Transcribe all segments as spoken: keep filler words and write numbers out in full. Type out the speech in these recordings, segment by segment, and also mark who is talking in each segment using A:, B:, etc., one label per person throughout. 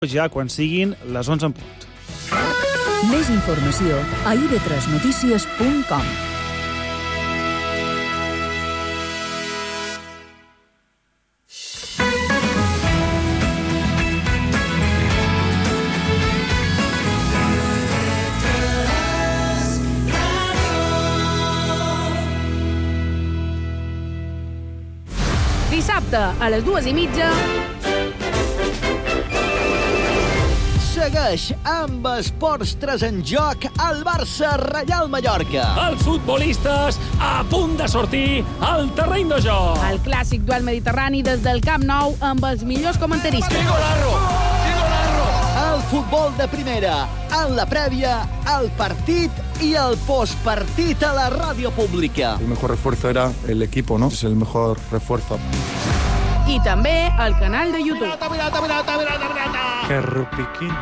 A: ja quan siguin les onze en punt.
B: Més informació a i ve tres notícies punt com.
C: Dissabte, a les dues i mitja...
D: Segueix amb Esports tres en joc al Barça-Reial Mallorca.
E: Els futbolistes a punt de sortir al terreny de joc.
C: El clàssic duel mediterrani des del Camp Nou amb els millors comentaristes.
D: Golazo! Golazo! El futbol de primera, en la prèvia, el partit i el postpartit a la ràdio pública.
F: El mejor refuerzo era el equipo, ¿no? Es el mejor refuerzo.
C: I també al canal de YouTube.
D: Pirata, pirata, pirata, pirata, pirata.
A: Que rupiquín.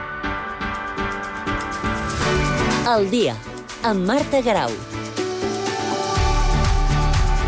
G: El dia, amb Marta Garau.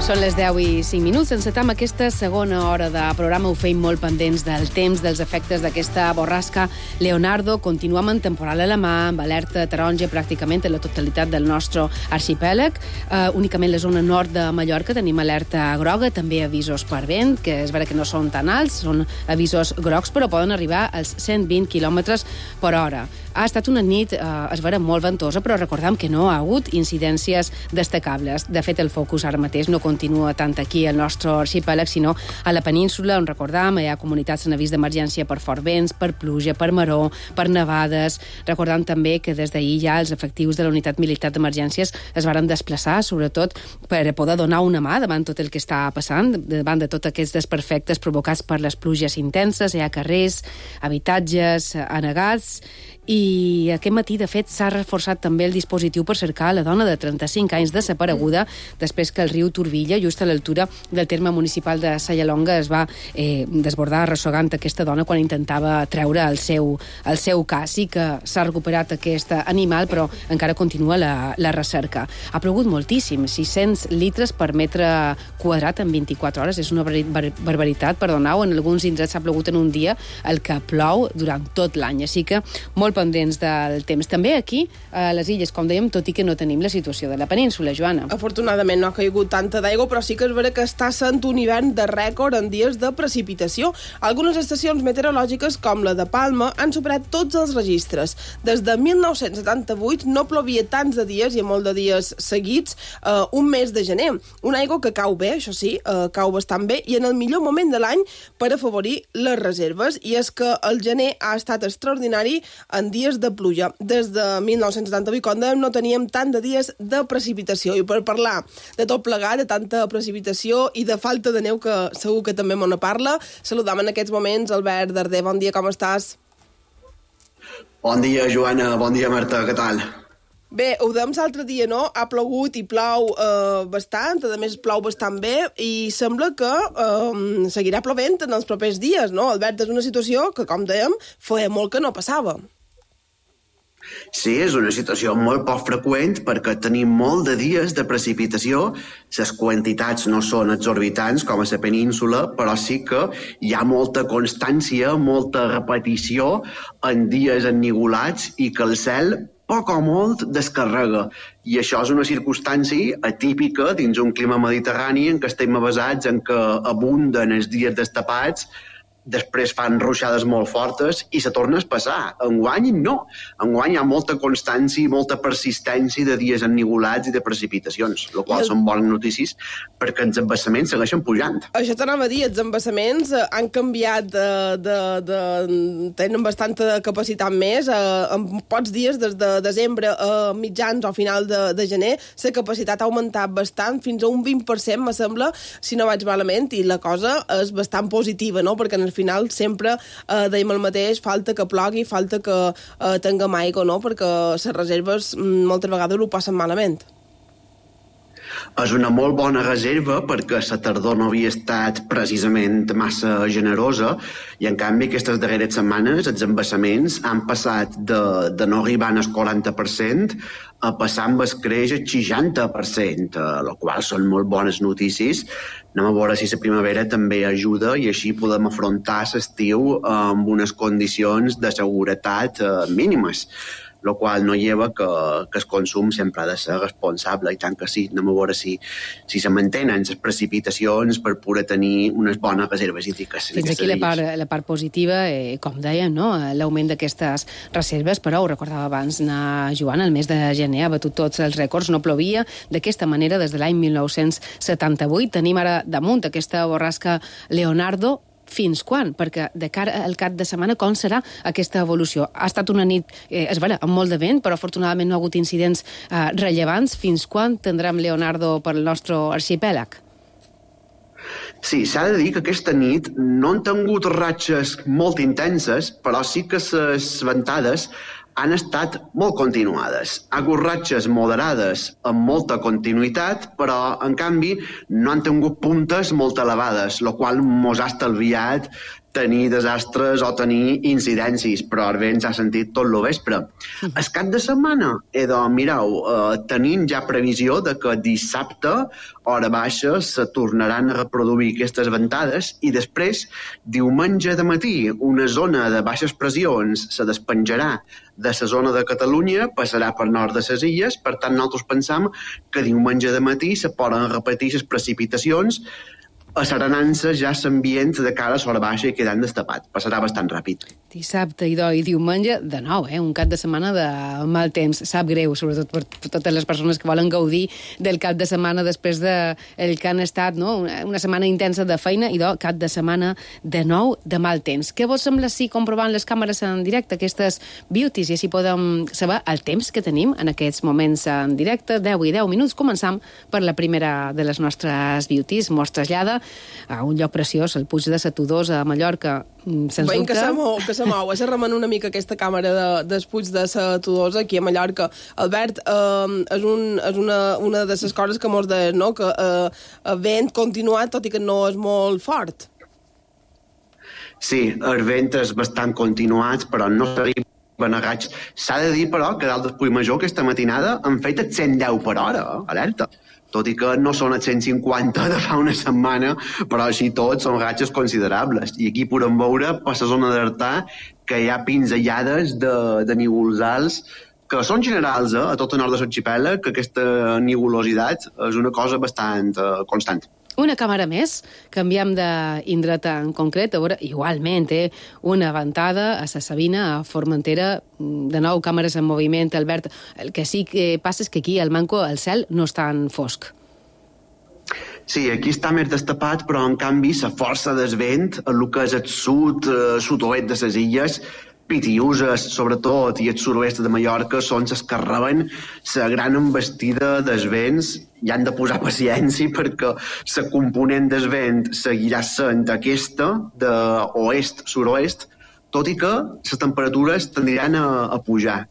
C: Són les deu i cinc minuts. Encetam aquesta segona hora de programa. Ho feim molt pendents del temps, dels efectes d'aquesta borrasca Leonardo. Continuem en temporal alemà, amb alerta taronja pràcticament en la totalitat del nostre arxipèlag. Uh, únicament la zona nord de Mallorca tenim alerta groga, també avisos per vent, que és vera que no són tan alts, són avisos grocs, però poden arribar als cent vint quilòmetres per hora. Ha estat una nit, eh, es vera, molt ventosa, però recordem que no ha hagut incidències destacables. De fet, el focus ara mateix no continua tant aquí al nostre arxipèlag, sinó a la península, on recordam, hi ha comunitats en avís d'emergència per fort vents, per pluja, per maró, per nevades. Recordam també que des d'ahir ja els efectius de la unitat militar d'emergències es varen desplaçar, sobretot per poder donar una mà davant tot el que està passant, davant de tots aquests desperfectes provocats per les pluges intenses. Hi ha carrers, habitatges anegats. I aquest matí, de fet, s'ha reforçat també el dispositiu per cercar la dona de trenta-cinc anys desapareguda després que el riu Turbilla, just a l'altura del terme municipal de Sallalonga, es va eh, desbordar arrossegant aquesta dona quan intentava treure el seu, el seu cas. Sí que s'ha recuperat aquest animal, però encara continua la, la recerca. Ha plogut moltíssim, sis-cents litres per metre quadrat en vint-i-quatre hores. És una bar barbaritat, perdoneu, en alguns indrets s'ha plogut en un dia el que plou durant tot l'any. Així que molt pendents del temps. També aquí, a les illes, com dèiem, tot i que no tenim la situació de la península, Joana.
H: Afortunadament no ha caigut tanta d'aigua, però sí que és vera que està sent un hivern de rècord en dies de precipitació. Algunes estacions meteorològiques, com la de Palma, han superat tots els registres. Des de mil nou-cents setanta-vuit no plovia tants de dies, i molt de dies seguits, eh, un mes de gener. Una aigua que cau bé, això sí, eh, cau bastant bé, i en el millor moment de l'any per afavorir les reserves. I és que el gener ha estat extraordinari en dies de pluja. Des de mil nou-cents setanta-vuit, com dèiem, no teníem tant de dies de precipitació. I per parlar de tot plegat, de tanta precipitació i de falta de neu, que segur que també m'ho parla, saludam en aquests moments Albert Darder. Bon dia, com estàs?
I: Bon dia, Joana. Bon dia, Marta. Què tal?
H: Bé, ho dèiem l'altre dia, no? Ha plogut i plou eh, bastant, a més plou bastant bé, i sembla que eh, seguirà plovent en els propers dies, no? Albert, és una situació que, com dèiem, feia molt que no passava.
I: Sí, és una situació molt poc freqüent perquè tenim molt de dies de precipitació. Les quantitats no són exorbitants com a la península, però sí que hi ha molta constància, molta repetició en dies ennigolats i que el cel poc o molt descarrega. I això és una circumstància atípica dins un clima mediterrani en què estem avasats, en què abunden els dies destapats, després fan ruixades molt fortes i se torna a passar. Enguany no. Enguany hi ha molta constància i molta persistència de dies ennigolats i de precipitacions, el qual el... són bones notícies perquè els embassaments segueixen pujant.
H: Això t'anava a dir, els embassaments han canviat, de, de, de, tenen bastanta capacitat més. En pocs dies, des de desembre a mitjans o final de, de gener, la capacitat ha augmentat bastant, fins a un vint per cent, me sembla, si no vaig malament, i la cosa és bastant positiva, no? Perquè en el final sempre eh, dèiem el mateix, falta que plogui, falta que eh, tinguem aigua, no? Perquè les reserves moltes vegades ho passen malament.
I: És una molt bona reserva perquè la tardor no havia estat precisament massa generosa i, en canvi, aquestes darreres setmanes els embassaments han passat de, de no arribar al quaranta per cent a passar amb el creix al seixanta per cent, el qual són molt bones notícies. Anem a veure si la primavera també ajuda i així podem afrontar l'estiu amb unes condicions de seguretat mínimes, el qual no lleva que, que el consum sempre ha de ser responsable, i tant que sí. Anem a veure si, si se mantenen les precipitacions per poder tenir unes bones reserves hídriques.
C: Fins aquí la part, la part positiva, eh, com dèiem, no? L'augment d'aquestes reserves, però ho recordava abans, na Joan, el mes de gener ha batut tots els rècords, no plovia d'aquesta manera des de l'any mil nou-cents setanta-vuit. Tenim ara damunt aquesta borrasca Leonardo. Fins quan? Perquè de cara al cap de setmana, com serà aquesta evolució? Ha estat una nit, eh, és vera, amb molt de vent, però afortunadament no ha hagut incidents eh, rellevants. Fins quan tindrem Leonardo per al nostre arxipèlag?
I: Sí, s'ha de dir que aquesta nit no han tingut ratxes molt intenses, però sí que les ventades han estat molt continuades. Ha hagut ratxes moderades amb molta continuïtat, però, en canvi, no han tingut puntes molt elevades, el qual mos ha estalviat tenir desastres o tenir incidències, però el vent s'ha sentit tot el vespre. El cap de setmana, eh, doncs, mireu, eh, tenim ja previsió de que dissabte, hora baixa, se tornaran a reproduir aquestes ventades i després, diumenge de matí, una zona de baixes pressions se despenjarà de la zona de Catalunya, passarà per nord de les illes, per tant, nosaltres pensam que diumenge de matí se poden repetir les precipitacions, asserenant-se ja l'ambient de cara a l'hora baixa i quedant destapat. Passarà bastant ràpid.
C: Dissabte i, i diumenge, de nou, eh? Un cap de setmana de mal temps. Sap greu, sobretot per, per totes les persones que volen gaudir del cap de setmana després de el que han estat, no? Una, una setmana intensa de feina i, do, cap de setmana de nou de mal temps. Què vos sembla si comprovant les càmeres en directe, aquestes beauties, i així podem saber el temps que tenim en aquests moments en directe, deu i deu minuts. Començam per la primera de les nostres beauties. Mos trasllada a un lloc preciós, el Puig de Satudosa, a Mallorca, sens
H: Veiem
C: dubte.
H: que se mou, que se mou. Se remen una mica aquesta càmera de, del Puig de Satudosa aquí a Mallorca. Albert, eh, és, un, és una, una de les coses que mos deien, no? Que eh, el vent continuat, tot i que no és molt fort.
I: Sí, el vent és bastant continuat, però no s'arriba a raigs. S'ha de dir, però, que dalt del Puig Major aquesta matinada han fet el cent deu per hora, eh? Alerta. Tot i que no són els cent cinquanta de fa una setmana, però així tot són ratxes considerables. I aquí podem veure, per la zona d'Artà, que hi ha pinzellades de, de nívols alts, que són generals, eh, a tot el nord de l'arxipèlag, que aquesta nivulositat és una cosa bastant eh, constant.
C: Una càmera més, canviem d'indret en concret, a veure, igualment, eh, una ventada a la Sabina, a Formentera, de nou càmeres en moviment, Albert. El que sí que passa és que aquí, al Manco, el cel no és tan fosc.
I: Sí, aquí està més destapat, però en canvi la força del vent, el que és el sud, eh, sud-oest de les illes, Pitiuses, sobretot, i el sud-oest de Mallorca, són les que reben la gran embestida dels vents i han de posar paciència perquè la component del vent seguirà sent aquesta d'oest-suroest, tot i que les temperatures tendran a, a pujar.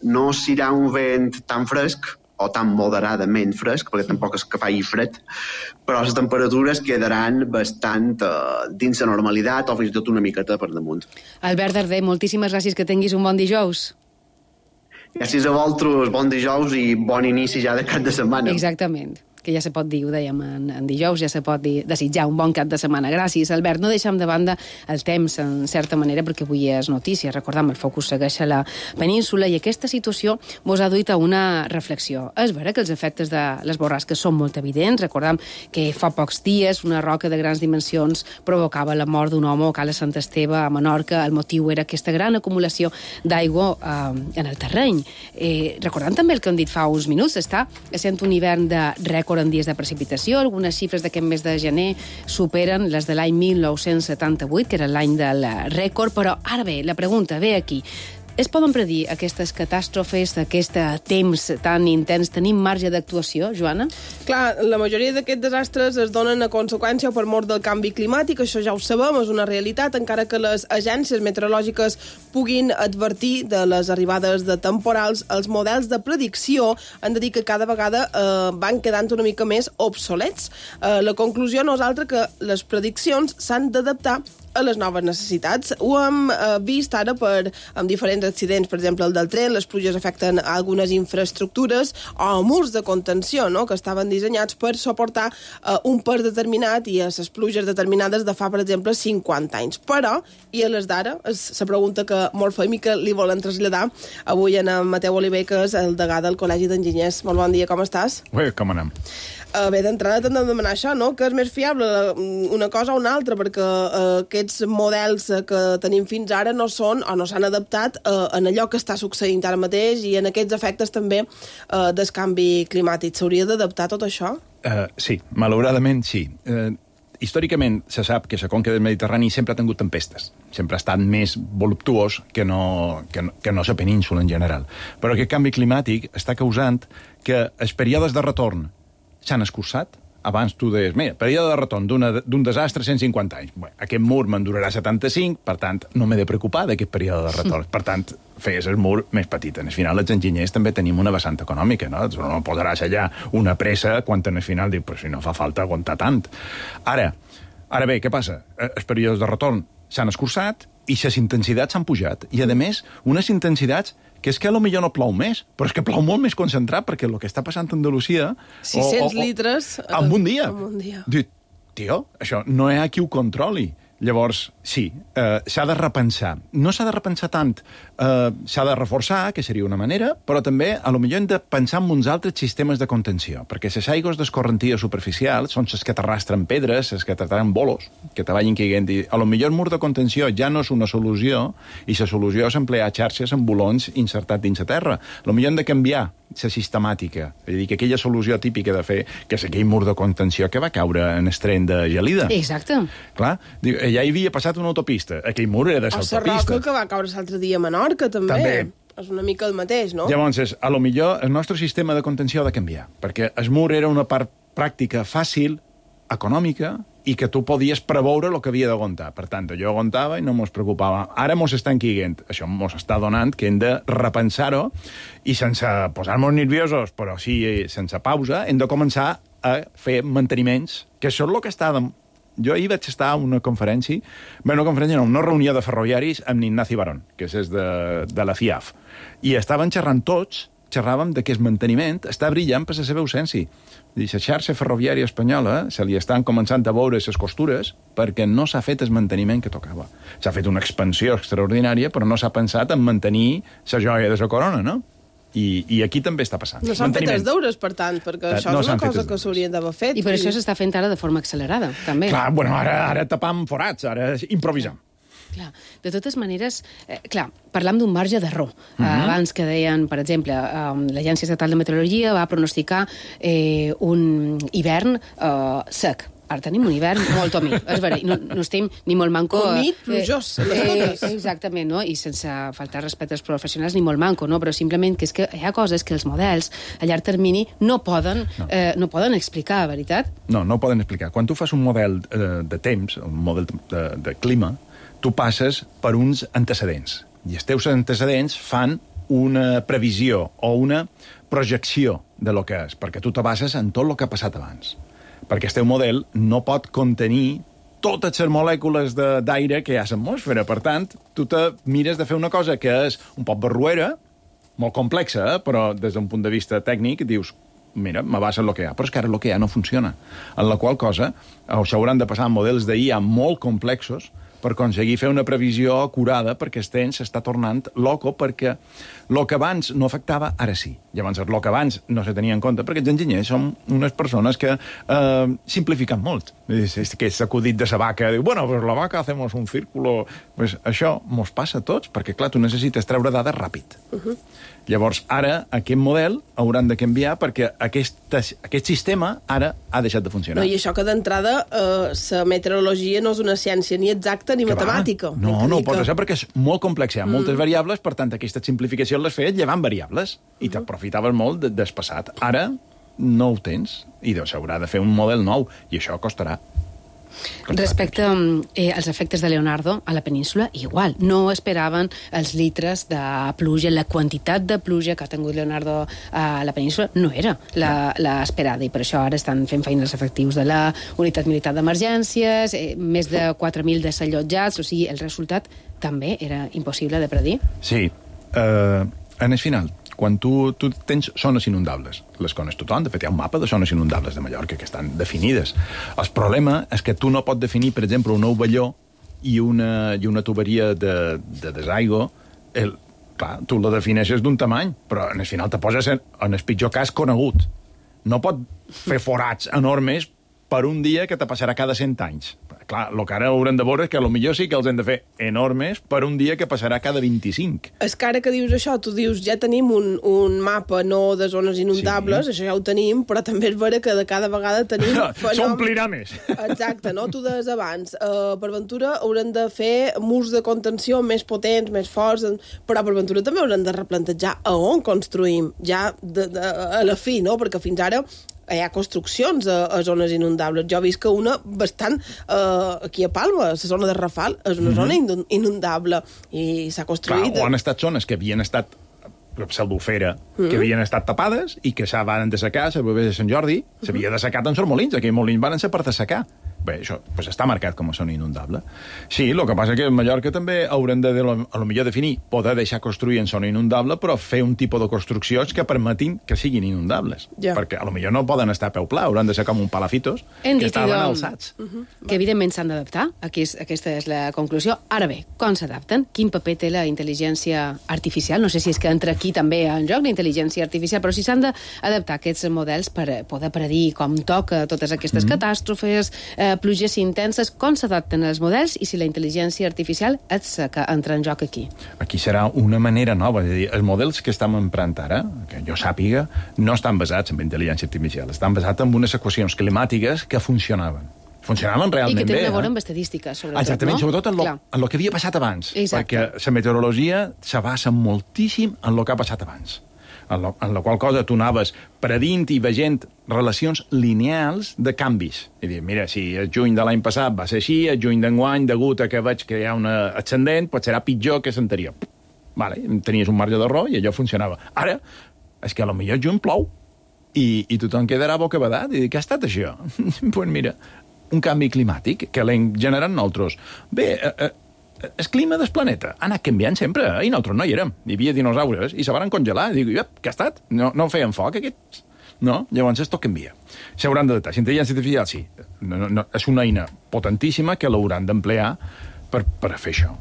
I: No serà un vent tan fresc, o tan moderadament fresc, perquè tampoc és que faci fred, però les temperatures quedaran bastant uh, dins la normalitat o fins i tot una miqueta per damunt.
C: Albert Darder, moltíssimes gràcies, que tinguis un bon dijous.
I: Gràcies a vosaltres, bon dijous i bon inici ja de cap de setmana.
C: Exactament, que ja se pot dir, ho dèiem en, en dijous, ja se pot dir, desitjar un bon cap de setmana. Gràcies, Albert. No deixem de banda el temps, en certa manera, perquè avui és notícia. Recordem, el focus segueix a la península i aquesta situació mos ha duit a una reflexió. És vera que els efectes de les borrasques són molt evidents. Recordem que fa pocs dies una roca de grans dimensions provocava la mort d'un home a Cala Sant Esteve, a Menorca. El motiu era aquesta gran acumulació d'aigua eh, en el terreny. Eh, recordem també el que hem dit fa uns minuts, està sent un hivern de rècord en dies de precipitació. Algunes xifres d'aquest mes de gener superen les de l'any mil nou-cents setanta-vuit, que era l'any del rècord, però ara bé, la pregunta ve aquí. es poden predir aquestes catàstrofes, aquest temps tan intens? Tenim marge d'actuació, Joana?
H: Clar, la majoria d'aquests desastres es donen a conseqüència per mort del canvi climàtic, això ja ho sabem, és una realitat, encara que les agències meteorològiques puguin advertir de les arribades de temporals, els models de predicció han de dir que cada vegada eh, van quedant una mica més obsolets. Eh, la conclusió no és altra que les prediccions s'han d'adaptar a les noves necessitats. Ho hem eh, vist ara per, amb diferents accidents, per exemple, el del tren, les pluges afecten algunes infraestructures o murs de contenció, no?, que estaven dissenyats per suportar eh, un pes determinat i a les pluges determinades de fa, per exemple, cinquanta anys. Però, i a les d'ara, és la pregunta que molt fem i que li volen traslladar avui en Mateu Oliver, que és el degà del Col·legi d'Enginyers. Molt bon dia, com estàs?
J: Bé, com anem?
H: Uh, bé, d'entrada t'hem de demanar això, no?, que és més fiable una cosa o una altra, perquè uh, aquests models que tenim fins ara no són o no s'han adaptat uh, en allò que està succeint ara mateix i en aquests efectes també uh, del canvi climàtic. S'hauria d'adaptar tot això?
J: Uh, sí, malauradament sí. Uh, històricament se sap que la conca del Mediterrani sempre ha tingut tempestes. Sempre ha estat més voluptuós que no, que no, que no la península en general. Però aquest canvi climàtic està causant que els períodes de retorn s'han escurçat. Abans tu deies, mira, període de retorn d'un desastre cent cinquanta anys. Bé, aquest mur me'n durarà setanta-cinc, per tant, no m'he de preocupar d'aquest període de retorn. Per tant, feies el mur més petit. En el final, els enginyers també tenim una vessant econòmica, no? No posaràs allà una pressa quan en el final dius, però si no fa falta aguantar tant. Ara, ara bé, què passa? Els períodes de retorn s'han escurçat i les intensitats s'han pujat. I, a més, unes intensitats que és que potser no plou més, però és que plou molt més concentrat, perquè el que està passant a Andalusia...
H: sis-cents litres...
J: En un dia.
H: En un dia.
J: Diu, tio, això no hi ha qui ho controli. Llavors, sí, eh, s'ha de repensar. No s'ha de repensar tant, eh, s'ha de reforçar, que seria una manera, però també, a lo millor, hem de pensar en uns altres sistemes de contenció, perquè les aigües d'escorrentia superficials són les que t'arrastren pedres, les que t'arrastren bolos, que te vagin caient. A lo millor el mur de contenció ja no és una solució, i la solució és emplear xarxes amb bolons insertats dins la terra. A lo millor hem de canviar la sistemàtica, és a dir, que aquella solució típica de fer, que és aquell mur de contenció que va caure en el tren de gelida.
C: Exacte.
J: Clar, ja hi havia passat una autopista, aquell mur era de l'autopista.
H: O la roca que va caure l'altre dia a Menorca, també. També. És una mica el mateix, no?
J: Llavors, a lo millor el nostre sistema de contenció ha de canviar, perquè el mur era una part pràctica, fàcil, econòmica, i que tu podies preveure el que havia d'aguantar. Per tant, jo aguantava i no mos preocupava. Ara mos estan quiguent. Això mos està donant que hem de repensar-ho i sense posar-nos nerviosos, però sí sense pausa, hem de començar a fer manteniments, que això és el que està... De... Jo ahir vaig estar a una conferència, bé, una conferència no, una reunió de ferroviaris amb Ignaci Barón, que és de, de la C I A F, i estaven xerrant tots, xerràvem de que el manteniment està brillant per la seva ausència. La xarxa ferroviària espanyola se li estan començant a veure les costures perquè no s'ha fet el manteniment que tocava. S'ha fet una expansió extraordinària, però no s'ha pensat en mantenir la joia de la corona, no? I, i aquí també està passant.
H: No s'han fet els deures, per tant, perquè això
J: no
H: és una cosa que s'haurien d'haver fet.
C: I per això s'està fent ara de forma accelerada, també.
J: Clar, bueno, ara, ara tapam forats, ara improvisam.
C: Clar. De totes maneres, eh, clar, parlam d'un marge d'error. Uh -huh. eh, abans que deien, per exemple, eh, l'Agència Estatal de Meteorologia va pronosticar eh, un hivern eh, sec. Ara tenim un hivern molt humit, és veritat, no, no estem ni molt manco...
H: Humit, plujós,
C: eh, eh, exactament, no? I sense faltar respecte als professionals ni molt manco, no? Però simplement que és que hi ha coses que els models a llarg termini no poden, no. Eh, no poden explicar, veritat?
J: No, no poden explicar. Quan tu fas un model eh, de temps, un model de, de clima, tu passes per uns antecedents. I els teus antecedents fan una previsió o una projecció de lo que és, perquè tu te bases en tot el que ha passat abans. Perquè el teu model no pot contenir totes les molècules d'aire que hi ha a l'atmosfera. Per tant, tu te mires de fer una cosa que és un poc barruera, molt complexa, eh? Però des d'un punt de vista tècnic dius, mira, me basa en el que hi ha. Però és que ara el que hi ha no funciona. En la qual cosa, s'hauran de passar models d'I A molt complexos per aconseguir fer una previsió acurada, perquè el temps s'està tornant loco, perquè el que abans no afectava, ara sí. Llavors, el que abans no se tenia en compte, perquè els enginyers són unes persones que eh, simplifiquen molt. És, és que s'acudit de la vaca, diu, bueno, pues la vaca hacemos un círculo... Pues això mos passa a tots, perquè, clar, tu necessites treure dades ràpid. Uh-huh. Llavors, ara, aquest model hauran de canviar perquè aquest, aquest sistema ara ha deixat de funcionar.
H: No, i això que d'entrada eh, la meteorologia no és una ciència ni exacta tenir
J: Que va?
H: matemàtica.
J: No,
H: Vull
J: no
H: dir
J: ho pot
H: que-
J: ser perquè és molt complex, hi ha moltes
H: Mm.
J: variables, per tant, aquesta simplificació les feies llevant variables i t'aprofitaves molt de, del passat. Ara no ho tens i s'haurà de fer un model nou i això costarà.
C: Respecte eh, als efectes de Leonardo a la península, igual. No esperaven els litres de pluja, la quantitat de pluja que ha tingut Leonardo a la península no era la- l'esperada, i per això ara estan fent feina els efectius de la unitat militar d'emergències, eh, més de quatre mil desallotjats, o sigui, el resultat també era impossible de predir.
J: Sí, eh, en el final, quan tu, tu tens zones inundables, les coneix tothom, de fet hi ha un mapa de zones inundables de Mallorca que estan definides. El problema és que tu no pots definir, per exemple, un ovelló i una, i una tuberia de, de desaigüe, el, clar, tu la defineixes d'un tamany, però en el final te poses en, en el pitjor cas conegut. No pot fer forats enormes per un dia que te passarà cada cent anys. Clar, el que ara haurem de veure és que potser sí que els hem de fer enormes per un dia que passarà cada vint-i-cinc.
H: És que ara que dius això, tu dius, ja tenim un, un mapa no de zones inundables, sí. Això ja ho tenim, però també és vera que de cada vegada tenim...
J: S'omplirà més.
H: Exacte, no? Tu deies abans, uh, per Ventura haurem de fer murs de contenció més potents, més forts, però per Ventura també haurem de replantejar a on construïm, ja de, de, a la fi, no? Perquè fins ara hi ha construccions a, a zones inundables. Jo he vist que una bastant eh, aquí a Palma, la zona de Rafal, és una zona mm-hmm. inundable i s'ha construït...
J: Clar, o han estat zones que havien estat pseudofera, mm-hmm. que havien estat tapades i que s'han de secar, a Bovers de Sant Jordi, s'havia mm-hmm. de secar tant els molins, aquells molins van ser per de secar. Bé, això pues, està marcat com a zona inundable. Sí, el que passa que a Mallorca també haurem de, de a lo millor definir, poder deixar construir en zona inundable, però fer un tipus de construccions que permetin que siguin inundables.
H: Ja.
J: Perquè a lo millor no poden estar a peu pla, hauran de ser com un palafitos
C: Hem
J: que
C: dit,
J: estaven
C: doncs,
J: alçats.
C: uh-huh. que evidentment s'han d'adaptar. Aquí és, aquesta és la conclusió. Ara bé, com s'adapten? Quin paper té la intel·ligència artificial? No sé si és que entra aquí també en joc la intel·ligència artificial, però si s'han d'adaptar aquests models per poder predir com toca totes aquestes mm-hmm. catàstrofes, eh, pluges intenses, com s'adapten els models i si la intel·ligència artificial és que entra en joc aquí.
J: Aquí serà una manera nova. És a dir, els models que estem emprant ara, que jo sàpiga, no estan basats en intel·ligència artificial, estan basats en unes equacions climàtiques que funcionaven. Funcionaven realment bé.
C: I que tenen
J: bé,
C: a veure
J: eh?
C: amb estadístiques, sobretot,
J: Exactament,
C: no?
J: sobretot en lo, en lo que havia passat abans.
C: Exacte.
J: Perquè la meteorologia se basa moltíssim en lo que ha passat abans. En, lo, en la qual cosa tu anaves predint i veient relacions lineals de canvis. I dir, mira, si el juny de l'any passat va ser així, el juny d'enguany, degut a que veig que hi ha una ascendent, pot serà pitjor que l'anterior. Vale, tenies un marge d'error i allò funcionava. Ara, és que a lo millor el juny plou i, i tothom quedarà bocabadat i dir, què ha estat això? Doncs pues mira, un canvi climàtic que l'hem generat nosaltres. Bé, eh, eh, el clima del planeta ha anat canviant sempre, eh? I nosaltres no hi érem. Hi havia dinosaures i se van congelar. I dic, què ha estat? No, no feien foc, aquests? No? Llavors, esto canvia. S'hauran d'adaptar. La intel·ligència artificial, sí. No, no, és una eina potentíssima que l'hauran d'emplear per, per fer això.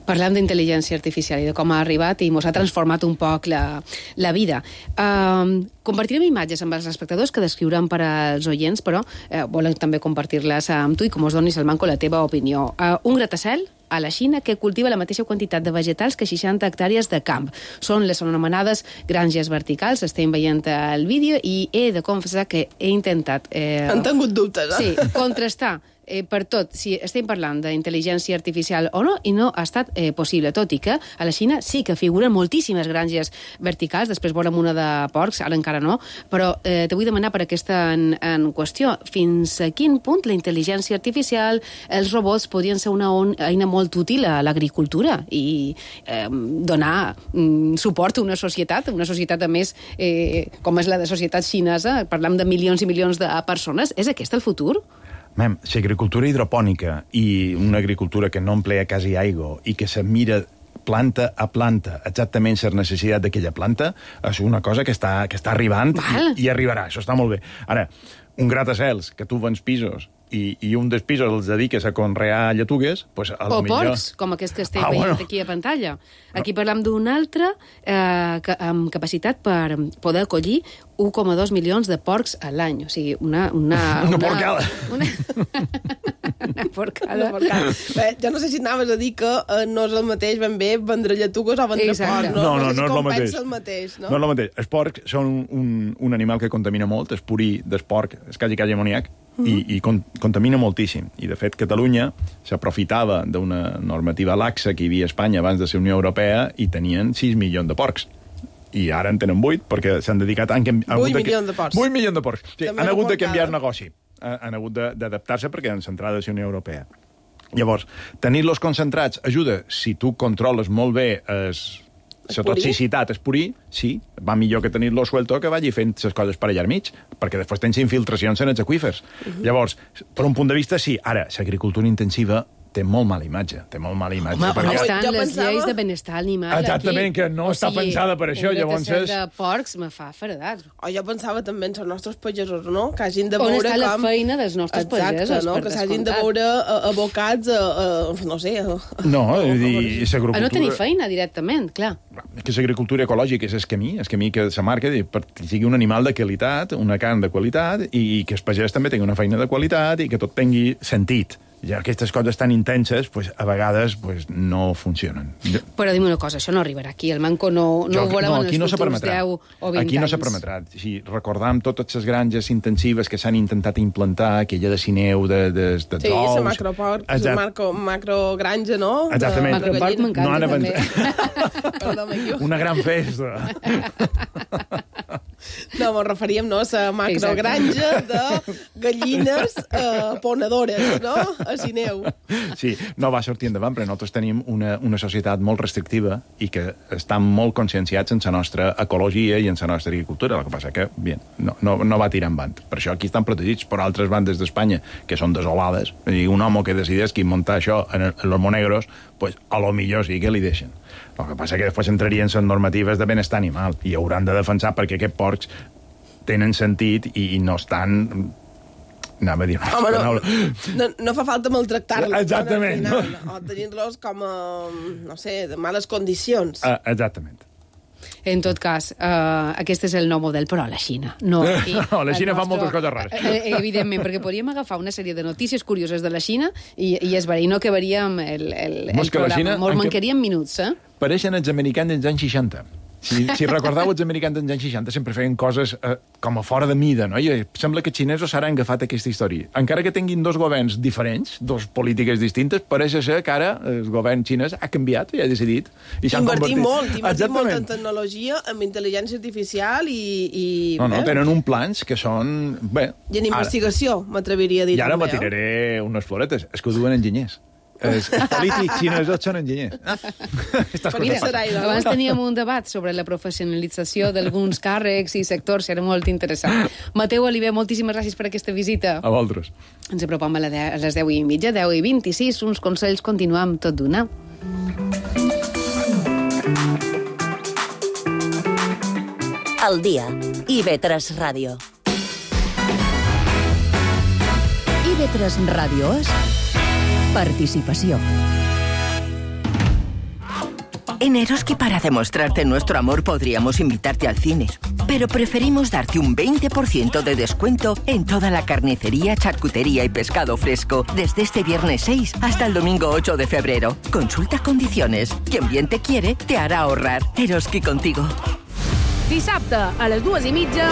C: Parlem d'intel·ligència artificial i de com ha arribat i ens ha transformat un poc la, la vida. Uh, compartirem imatges amb els espectadors que descriurem per als oients, però uh, volen també compartir-les amb tu i com us donis, Salmanco, la teva opinió. Uh, un gratacel a la Xina que cultiva la mateixa quantitat de vegetals que seixanta hectàrees de camp. Són les anomenades granges verticals. Estem veient el vídeo i he de confessar que he intentat... Eh,
H: Han tingut dubtes, eh?
C: Sí, contrastar eh, per tot si estem parlant d'intel·ligència artificial o no, i no ha estat eh, possible, tot i que a la Xina sí que figuren moltíssimes granges verticals, després veurem una de porcs, ara encara no, però eh, te vull demanar per aquesta en, en qüestió, fins a quin punt la intel·ligència artificial, els robots podrien ser una on, eina molt útil a l'agricultura i eh, donar mm, suport a una societat, una societat a més eh, com és la de societat xinesa, parlam de milions i milions de persones, és aquest el futur?
J: Mem, l'agricultura hidropònica i una agricultura que no emplea quasi aigua i que se mira planta a planta exactament la necessitat d'aquella planta és una cosa que està, que està arribant i, i arribarà, això està molt bé. Ara, un gratacels que tu vens pisos i, i un dels pisos els dediques a conrear lletugues, pues, a
C: o
J: millor...
C: porcs, com aquest que estem
J: ah,
C: veient
J: bueno.
C: aquí a pantalla. Aquí parlam d'un altre eh, que, amb capacitat per poder acollir u coma dos milions de porcs a l'any. O sigui, una... Una,
J: una, una porcada.
C: Una, una porcada.
H: Una porcada. Bé, jo no sé si anaves a dir que eh, no és el mateix ben bé vendre lletugues o vendre porc.
J: No, no, no,
H: no,
J: no, no és
H: el mateix.
J: No? no és el mateix. Els porcs són un, un animal que contamina molt, el purí del porc, és quasi quasi amoniac, uh -huh. i, i con, contamina moltíssim. I, de fet, Catalunya s'aprofitava d'una normativa laxa que hi havia a Espanya abans de ser Unió Europea i tenien sis milions de porcs. I ara en tenen vuit, perquè s'han dedicat... Han, han
H: vuit milions de porcs.
J: vuit milions de porcs. Sí, han hagut de canviar el negoci. Han hagut d'adaptar-se perquè han centrat a la Unió Europea. Llavors, tenir-los concentrats ajuda si tu controles molt bé es, la toxicitat, el purí, sí, va millor que tenir-lo suelto que vagi fent les coses per allà al mig, perquè després tens infiltracions en els aqüífers. Uh -huh. Llavors, per un punt de vista, sí. Ara, l'agricultura intensiva té molt mala imatge, té molt mala imatge.
C: Home,
J: perquè...
C: on estan
H: jo
C: les
H: pensava...
C: lleis de benestar animal
J: Exactament,
C: aquí?
J: que no o està sigui, pensada per això, llavors és...
C: Un de porcs me fa feredat.
H: O jo pensava també en els nostres pagesos, no? Que hagin de
C: on
H: veure
C: està
H: com...
C: la feina dels nostres
H: Exacte,
C: pagesos,
H: no?
C: per
H: Que s'hagin de
C: descomptat.
H: veure uh, abocats a, uh, no sé... A...
J: No, és dir, l'agricultura...
C: A no tenir feina directament, clar.
J: És que l'agricultura ecològica és el camí, el camí que se marca perquè sigui un animal de qualitat, una carn de qualitat, i que el pagès també tingui una feina de qualitat i que tot tingui sentit. Ja aquestes coses tan intenses, pues, a vegades pues, no funcionen.
C: Però dime una cosa, això no arribarà aquí. El manco no, no
J: jo,
C: ho veurem
J: no,
C: en els futurs
J: no
C: deu o vint
J: aquí
C: anys.
J: no s'ha permetrat. Si recordam totes les granges intensives que s'han intentat implantar, aquella de cineu, de, de, de
H: sí,
J: d'ous...
H: Sí, la macroport, la macro, macrogranja, no?
J: Exactament.
C: Macroport m'encanta,
J: no
C: també.
H: Perdó,
J: una gran festa.
H: No, mos referíem, no?, a la macrogranja de gallines eh, ponedores, no?, a Sineu.
J: Sí, no va sortir endavant, però nosaltres tenim una, una societat molt restrictiva i que estan molt conscienciats en la nostra ecologia i en la nostra agricultura. El que passa que, bien, no, no, no va tirar endavant. Per això aquí estan protegits per altres bandes d'Espanya que són desolades. I un home que decideix que muntar això en, el, en los monegros, pues, a lo millor sí que li deixen. El que passa que després entrarien en normatives de benestar animal i hauran de defensar perquè aquests porcs tenen sentit i, i no estan... Anava a dir una
H: Home,
J: no,
H: no, no fa falta maltractar-los.
J: Exactament.
H: No? O tenir-los com a, no sé, de males condicions.
J: Uh, exactament.
C: En tot cas, uh, aquest és el nou model, però a la Xina. No, aquí,
J: no la Xina
C: nostre...
J: fa moltes coses rares.
C: Eh, evidentment, perquè podríem agafar una sèrie de notícies curioses de la Xina i, i es veria, i no acabaríem el, el, el programa. Molt mancaríem minuts, eh?
J: Pareixen els americans dels anys seixanta. Si, si recordeu, els americans dels anys seixanta sempre feien coses eh, com a fora de mida, no? I sembla que els xinesos s'han agafat aquesta història. Encara que tinguin dos governs diferents, dos polítiques distintes, pareix ser que ara el govern xinès ha canviat i ha decidit. I
H: invertir molt, invertir molt en tecnologia, en intel·ligència artificial i... i
J: no, no, tenen uns plans que són... Bé,
H: I en investigació, m'atreviria a dir.
J: I ara
H: també,
J: me tiraré eh? unes floretes. És que ho duen enginyers. Els polítics xinesos són enginyers.
C: Abans teníem un debat sobre la professionalització d'alguns càrrecs i sectors, era molt interessant. Mateu Oliver, moltíssimes gràcies per aquesta visita.
J: A vosaltres.
C: Ens apropam a les deu i mitja, deu i vint-i-sis, uns consells, continuam tot d'una.
G: Al dia, I V tres Ràdio.
B: I V tres Ràdio és participació.
K: En Eroski, para demostrarte nuestro amor, podríamos invitarte al cine. Pero preferimos darte un veinte por ciento de descuento en toda la carnicería, charcutería y pescado fresco desde este viernes seis hasta el domingo ocho de febrero. Consulta condiciones. Quien bien te quiere, te hará ahorrar. Eroski contigo.
C: Dissabte, a les dues i mitja...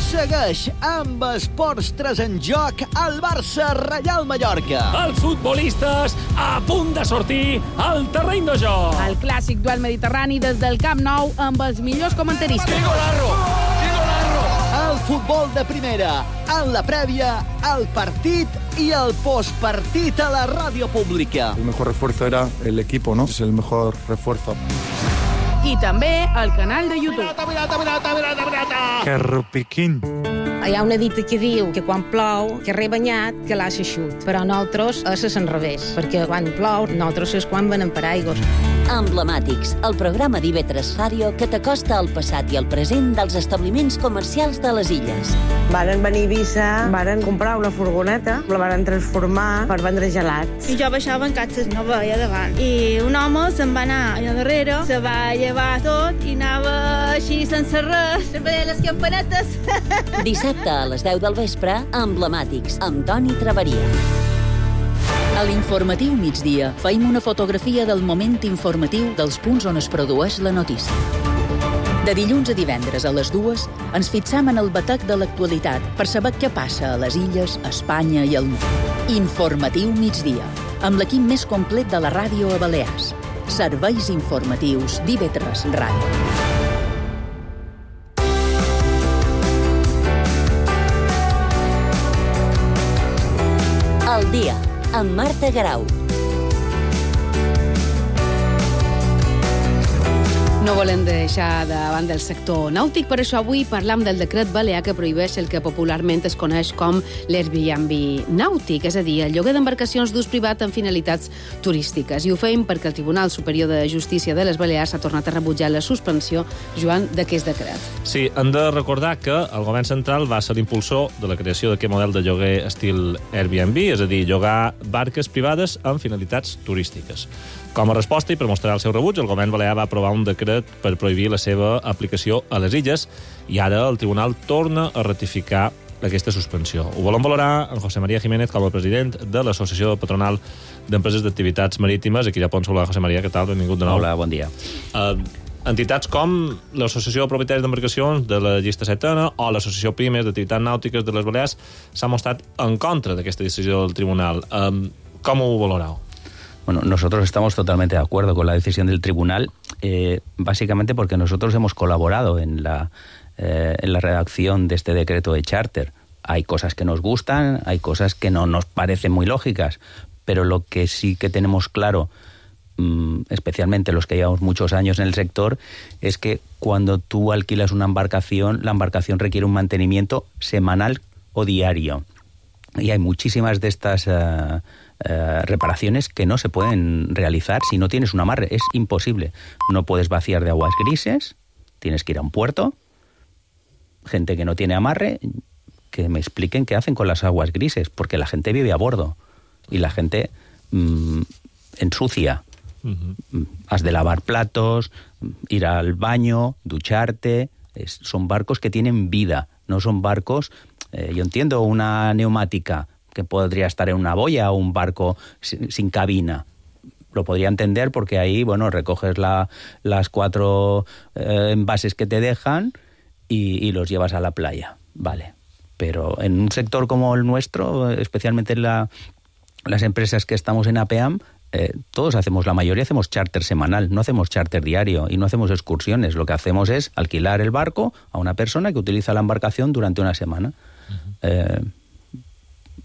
D: Segueix amb Esports tres en joc al Barça-Reial Mallorca.
E: Els futbolistes a punt de sortir al terreny de joc.
L: El clàssic duel mediterrani des del Camp Nou amb els millors comentaristes.
D: Golazo! Golazo! El futbol de primera, en la prèvia, el partit i el postpartit a la ràdio pública.
F: El mejor refuerzo era el equipo, ¿no? Es el mejor refuerzo.
L: I també al canal de YouTube.
A: Que rupiquín.
M: Hi ha una dita que diu que quan plou, que re banyat, que l'ha s'eixut. Però nosaltres és a l'enrevés, perquè quan plou, nosaltres és quan venem paraigües.
G: Emblemàtics, el programa d'I V tres Ràdio que t'acosta al passat i al present dels establiments comercials de les illes.
N: Varen venir a Eivissa, varen comprar una furgoneta, la varen transformar per vendre gelats.
O: I jo baixava en catxes, no veia davant. I un home se'n va anar allà darrere, se va llevar tot i anava així sense res, veia les campanetes.
G: Dissabte a les deu del vespre, Emblemàtics, amb Toni Traveria.
B: A l'informatiu migdia feim una fotografia del moment informatiu dels punts on es produeix la notícia. De dilluns a divendres a les dues ens fixam en el batec de l'actualitat per saber què passa a les illes, a Espanya i al món. Informatiu migdia, amb l'equip més complet de la ràdio a Balears. Serveis informatius d'I V tres Ràdio.
G: El dia, amb Marta Garau.
C: No volem deixar de banda el sector nàutic, per això avui parlam del decret balear que prohibeix el que popularment es coneix com l'Airbnb nàutic, és a dir, el lloguer d'embarcacions d'ús privat amb finalitats turístiques. I ho feim perquè el Tribunal Superior de Justícia de les Balears ha tornat a rebutjar la suspensió, Joan, d'aquest decret.
E: Sí, hem de recordar que el govern central va ser l'impulsor de la creació d'aquest model de lloguer estil Airbnb, és a dir, llogar barques privades amb finalitats turístiques. Com a resposta i per mostrar el seu rebuig, el govern balear va aprovar un decret per prohibir la seva aplicació a les illes i ara el tribunal torna a ratificar aquesta suspensió. Ho volem valorar en José María Jiménez com a president de l'Associació Patronal d'Empreses d'Activitats Marítimes. Aquí a Pons. Hola, José María, què tal? Benvingut de nou.
P: Hola, bon dia.
E: Uh, entitats com l'Associació de Propietaris d'Embarcacions de la Llista Setena o l'Associació Pimes d'Activitats Nàutiques de les Balears s'ha mostrat en contra d'aquesta decisió del tribunal. Uh, com ho valoreu?
P: Bueno, nosotros estamos totalmente de acuerdo con la decisión del tribunal, eh, básicamente porque nosotros hemos colaborado en la, eh, en la redacción de este decreto de charter. Hay cosas que nos gustan, hay cosas que no nos parecen muy lógicas, pero lo que sí que tenemos claro, mmm, especialmente los que llevamos muchos años en el sector, es que cuando tú alquilas una embarcación, la embarcación requiere un mantenimiento semanal o diario. Y hay muchísimas de estas Uh, Uh, reparaciones que no se pueden realizar si no tienes un amarre. Es imposible. No puedes vaciar de aguas grises, tienes que ir a un puerto. Gente que no tiene amarre, que me expliquen qué hacen con las aguas grises, porque la gente vive a bordo y la gente mmm, ensucia. Uh-huh. Has de lavar platos, ir al baño, ducharte. Es, son barcos que tienen vida, no son barcos... Eh, yo entiendo una neumática que podría estar en una boya o un barco sin, sin cabina. Lo podría entender porque ahí, bueno, recoges la, las cuatro eh, envases que te dejan y, y los llevas a la playa. Vale. Pero en un sector como el nuestro, especialmente en la, las empresas que estamos en APEAM, eh, todos hacemos, la mayoría hacemos charter semanal, no hacemos charter diario y no hacemos excursiones. Lo que hacemos es alquilar el barco a una persona que utiliza la embarcación durante una semana. Uh-huh. Eh,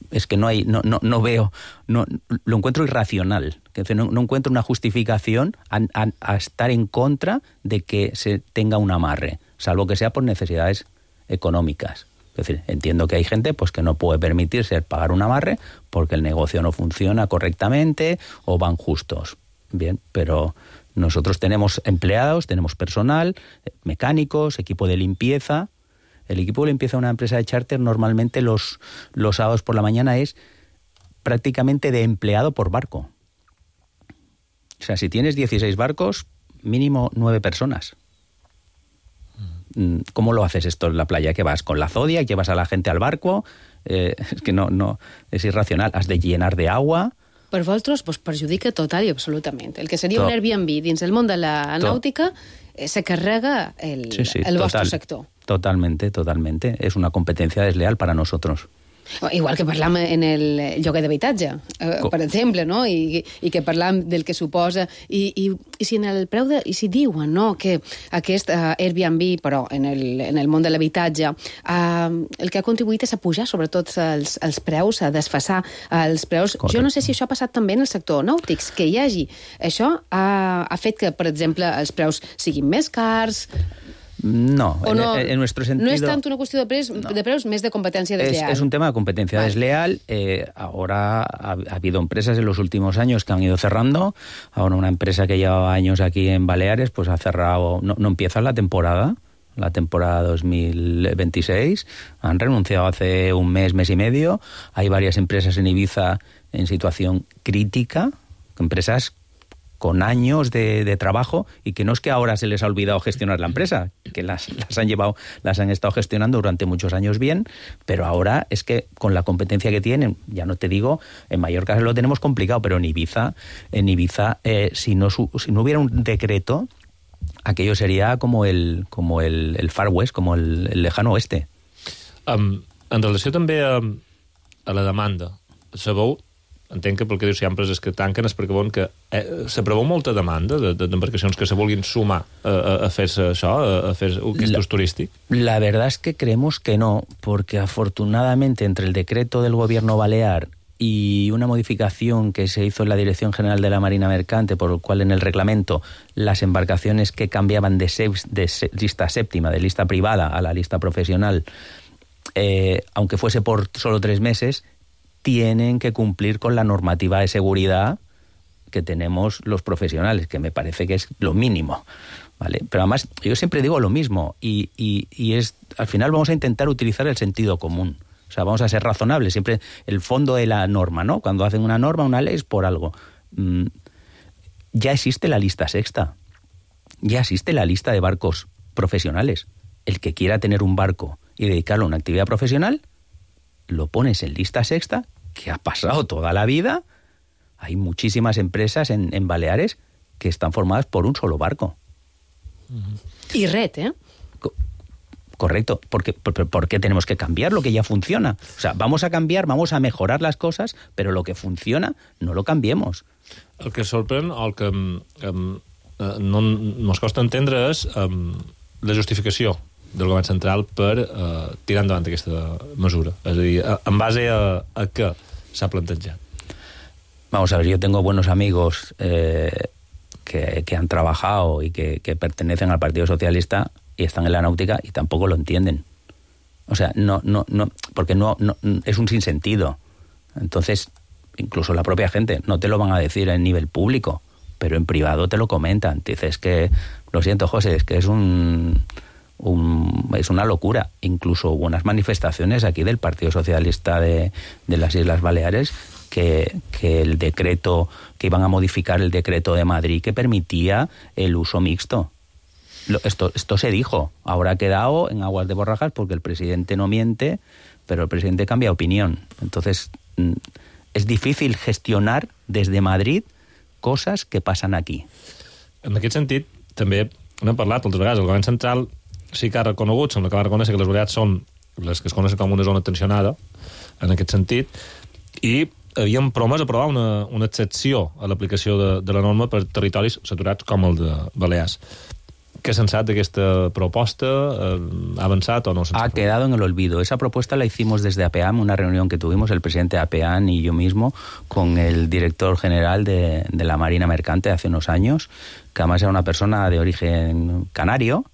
P: es que no hay, no, no, no veo, no, lo encuentro irracional, que no, no encuentro una justificación a, a, a estar en contra de que se tenga un amarre, salvo que sea por necesidades económicas. Es decir, entiendo que hay gente pues que no puede permitirse pagar un amarre porque el negocio no funciona correctamente o van justos. Bien, pero nosotros tenemos empleados, tenemos personal, mecánicos, equipo de limpieza. El equipo de limpieza de una empresa de charter normalmente los, los sábados por la mañana es prácticamente de empleado por barco. O sea, si tienes dieciséis barcos, mínimo nueve personas. ¿Cómo lo haces esto en la playa? ¿Qué vas? ¿Con la Zodiac? ¿Llevas a la gente al barco? Eh, es que no, no, es irracional. Has de llenar de agua.
C: Per vosaltres pues, perjudica total i absolutament. El que seria Tot. un Airbnb dins el món de la Tot. nàutica eh, se carrega el,
P: sí, sí,
C: el
P: total,
C: vostre sector.
P: Totalmente, totalmente. Es una competencia desleal para nosotros.
C: Igual que parlam en el lloguer d'habitatge, eh, per exemple, no? I, i que parlam del que suposa i, i, i si en el preu de, i si diuen, no?, que aquest uh, Airbnb, però en el, en el món de l'habitatge, uh, el que ha contribuït és a pujar sobretot els, els preus, a desfassar els preus. Correcte. Jo no sé si això ha passat també en el sector nàutics, que hi hagi. Això ha, ha fet que, per exemple, els preus siguin més cars.
P: No,
C: o no,
P: en, en nuestro sentido...
C: No es tanto una cuestión de preus, no. de preus, más de competencia desleal.
P: Es, es un tema de competencia vale. desleal. Eh, ahora ha, ha habido empresas en los últimos años que han ido cerrando. Ahora una empresa que llevaba años aquí en Baleares pues ha cerrado, no, no empieza la temporada, la temporada dos mil veintiséis. Han renunciado hace un mes, mes y medio. Hay varias empresas en Ibiza en situación crítica, empresas con años de, de trabajo y que no es que ahora se les ha olvidado gestionar la empresa, que las, las han llevado, las han estado gestionando durante muchos años bien, pero ahora es que con la competencia que tienen, ya no te digo, en Mallorca lo tenemos complicado, pero en Ibiza, en Ibiza, eh, si no su, si no hubiera un decreto, aquello sería como el como el, el Far West, como el, el lejano oeste.
E: Um, en relació també a, a la demanda, sabeu, entenc que pel que dius, si hi ha empreses que tanquen és perquè veuen que eh, se preveu molta demanda d'embarcacions que se vulguin sumar a, a, a fer això, a, a fer aquest ús turístic?
P: La verdad es que creemos que no, porque afortunadamente entre el decreto del gobierno balear y una modificación que se hizo en la Dirección General de la Marina Mercante, por lo cual en el reglamento las embarcaciones que cambiaban de, se, de se, lista séptima, de lista privada a la lista profesional, eh, aunque fuese por solo tres meses, tienen que cumplir con la normativa de seguridad que tenemos los profesionales, que me parece que es lo mínimo, ¿vale? Pero además, yo siempre digo lo mismo, y, y, y es, al final vamos a intentar utilizar el sentido común. O sea, vamos a ser razonables, siempre el fondo de la norma, ¿no? Cuando hacen una norma, una ley es por algo. Mm, ya existe la lista sexta, ya existe la lista de barcos profesionales. El que quiera tener un barco y dedicarlo a una actividad profesional, lo pones en lista sexta, que ha pasado toda la vida. Hay muchísimas empresas en, en Baleares que están formadas por un solo barco.
C: Y red, ¿eh?
P: Co- correcto. ¿Por qué, por, por qué tenemos que cambiar lo que ya funciona? O sea, vamos a cambiar, vamos a mejorar las cosas, pero lo que funciona no lo cambiemos.
E: El que sorprèn, o el que um, no ens costa entendre és um, la justificació del govern central per uh, tirar endavant aquesta mesura. És a dir, en base a, a què s'ha plantejat?
P: Vamos a ver, yo tengo buenos amigos eh, que, que han trabajado y que, que pertenecen al Partido Socialista y están en la náutica y tampoco lo entienden. O sea, no, no, no, porque no, no es un sinsentido. Entonces, incluso la propia gente no te lo van a decir en nivel público, pero en privado te lo comentan. Te dices que, lo siento, José, es que es un... Un, es una locura. Incluso hubo unas manifestaciones aquí del Partido Socialista de, de las Islas Baleares que, que el decreto, que iban a modificar el decreto de Madrid que permitía el uso mixto. Lo, esto, esto se dijo. Ahora ha quedado en aguas de borrajas porque el presidente no miente, pero el presidente cambia opinión. Entonces, es difícil gestionar desde Madrid cosas que pasan aquí.
E: En aquest sentit, també n'hem parlat altres vegades, el govern central sí que ha reconegut, sembla que va reconèixer que les Balears són les que es coneixen com una zona tensionada, en aquest sentit, i havien promès aprovar una, una excepció a l'aplicació de, de la norma per territoris saturats com el de Balears. ¿Qué sensat d'aquesta proposta? ¿Ha avançat o no?
P: Ha quedado en el olvido. Esa propuesta la hicimos desde APEAM, una reunión que tuvimos el presidente de APEAM y yo mismo con el director general de, de la Marina Mercante hace unos años, que además era una persona de origen canario,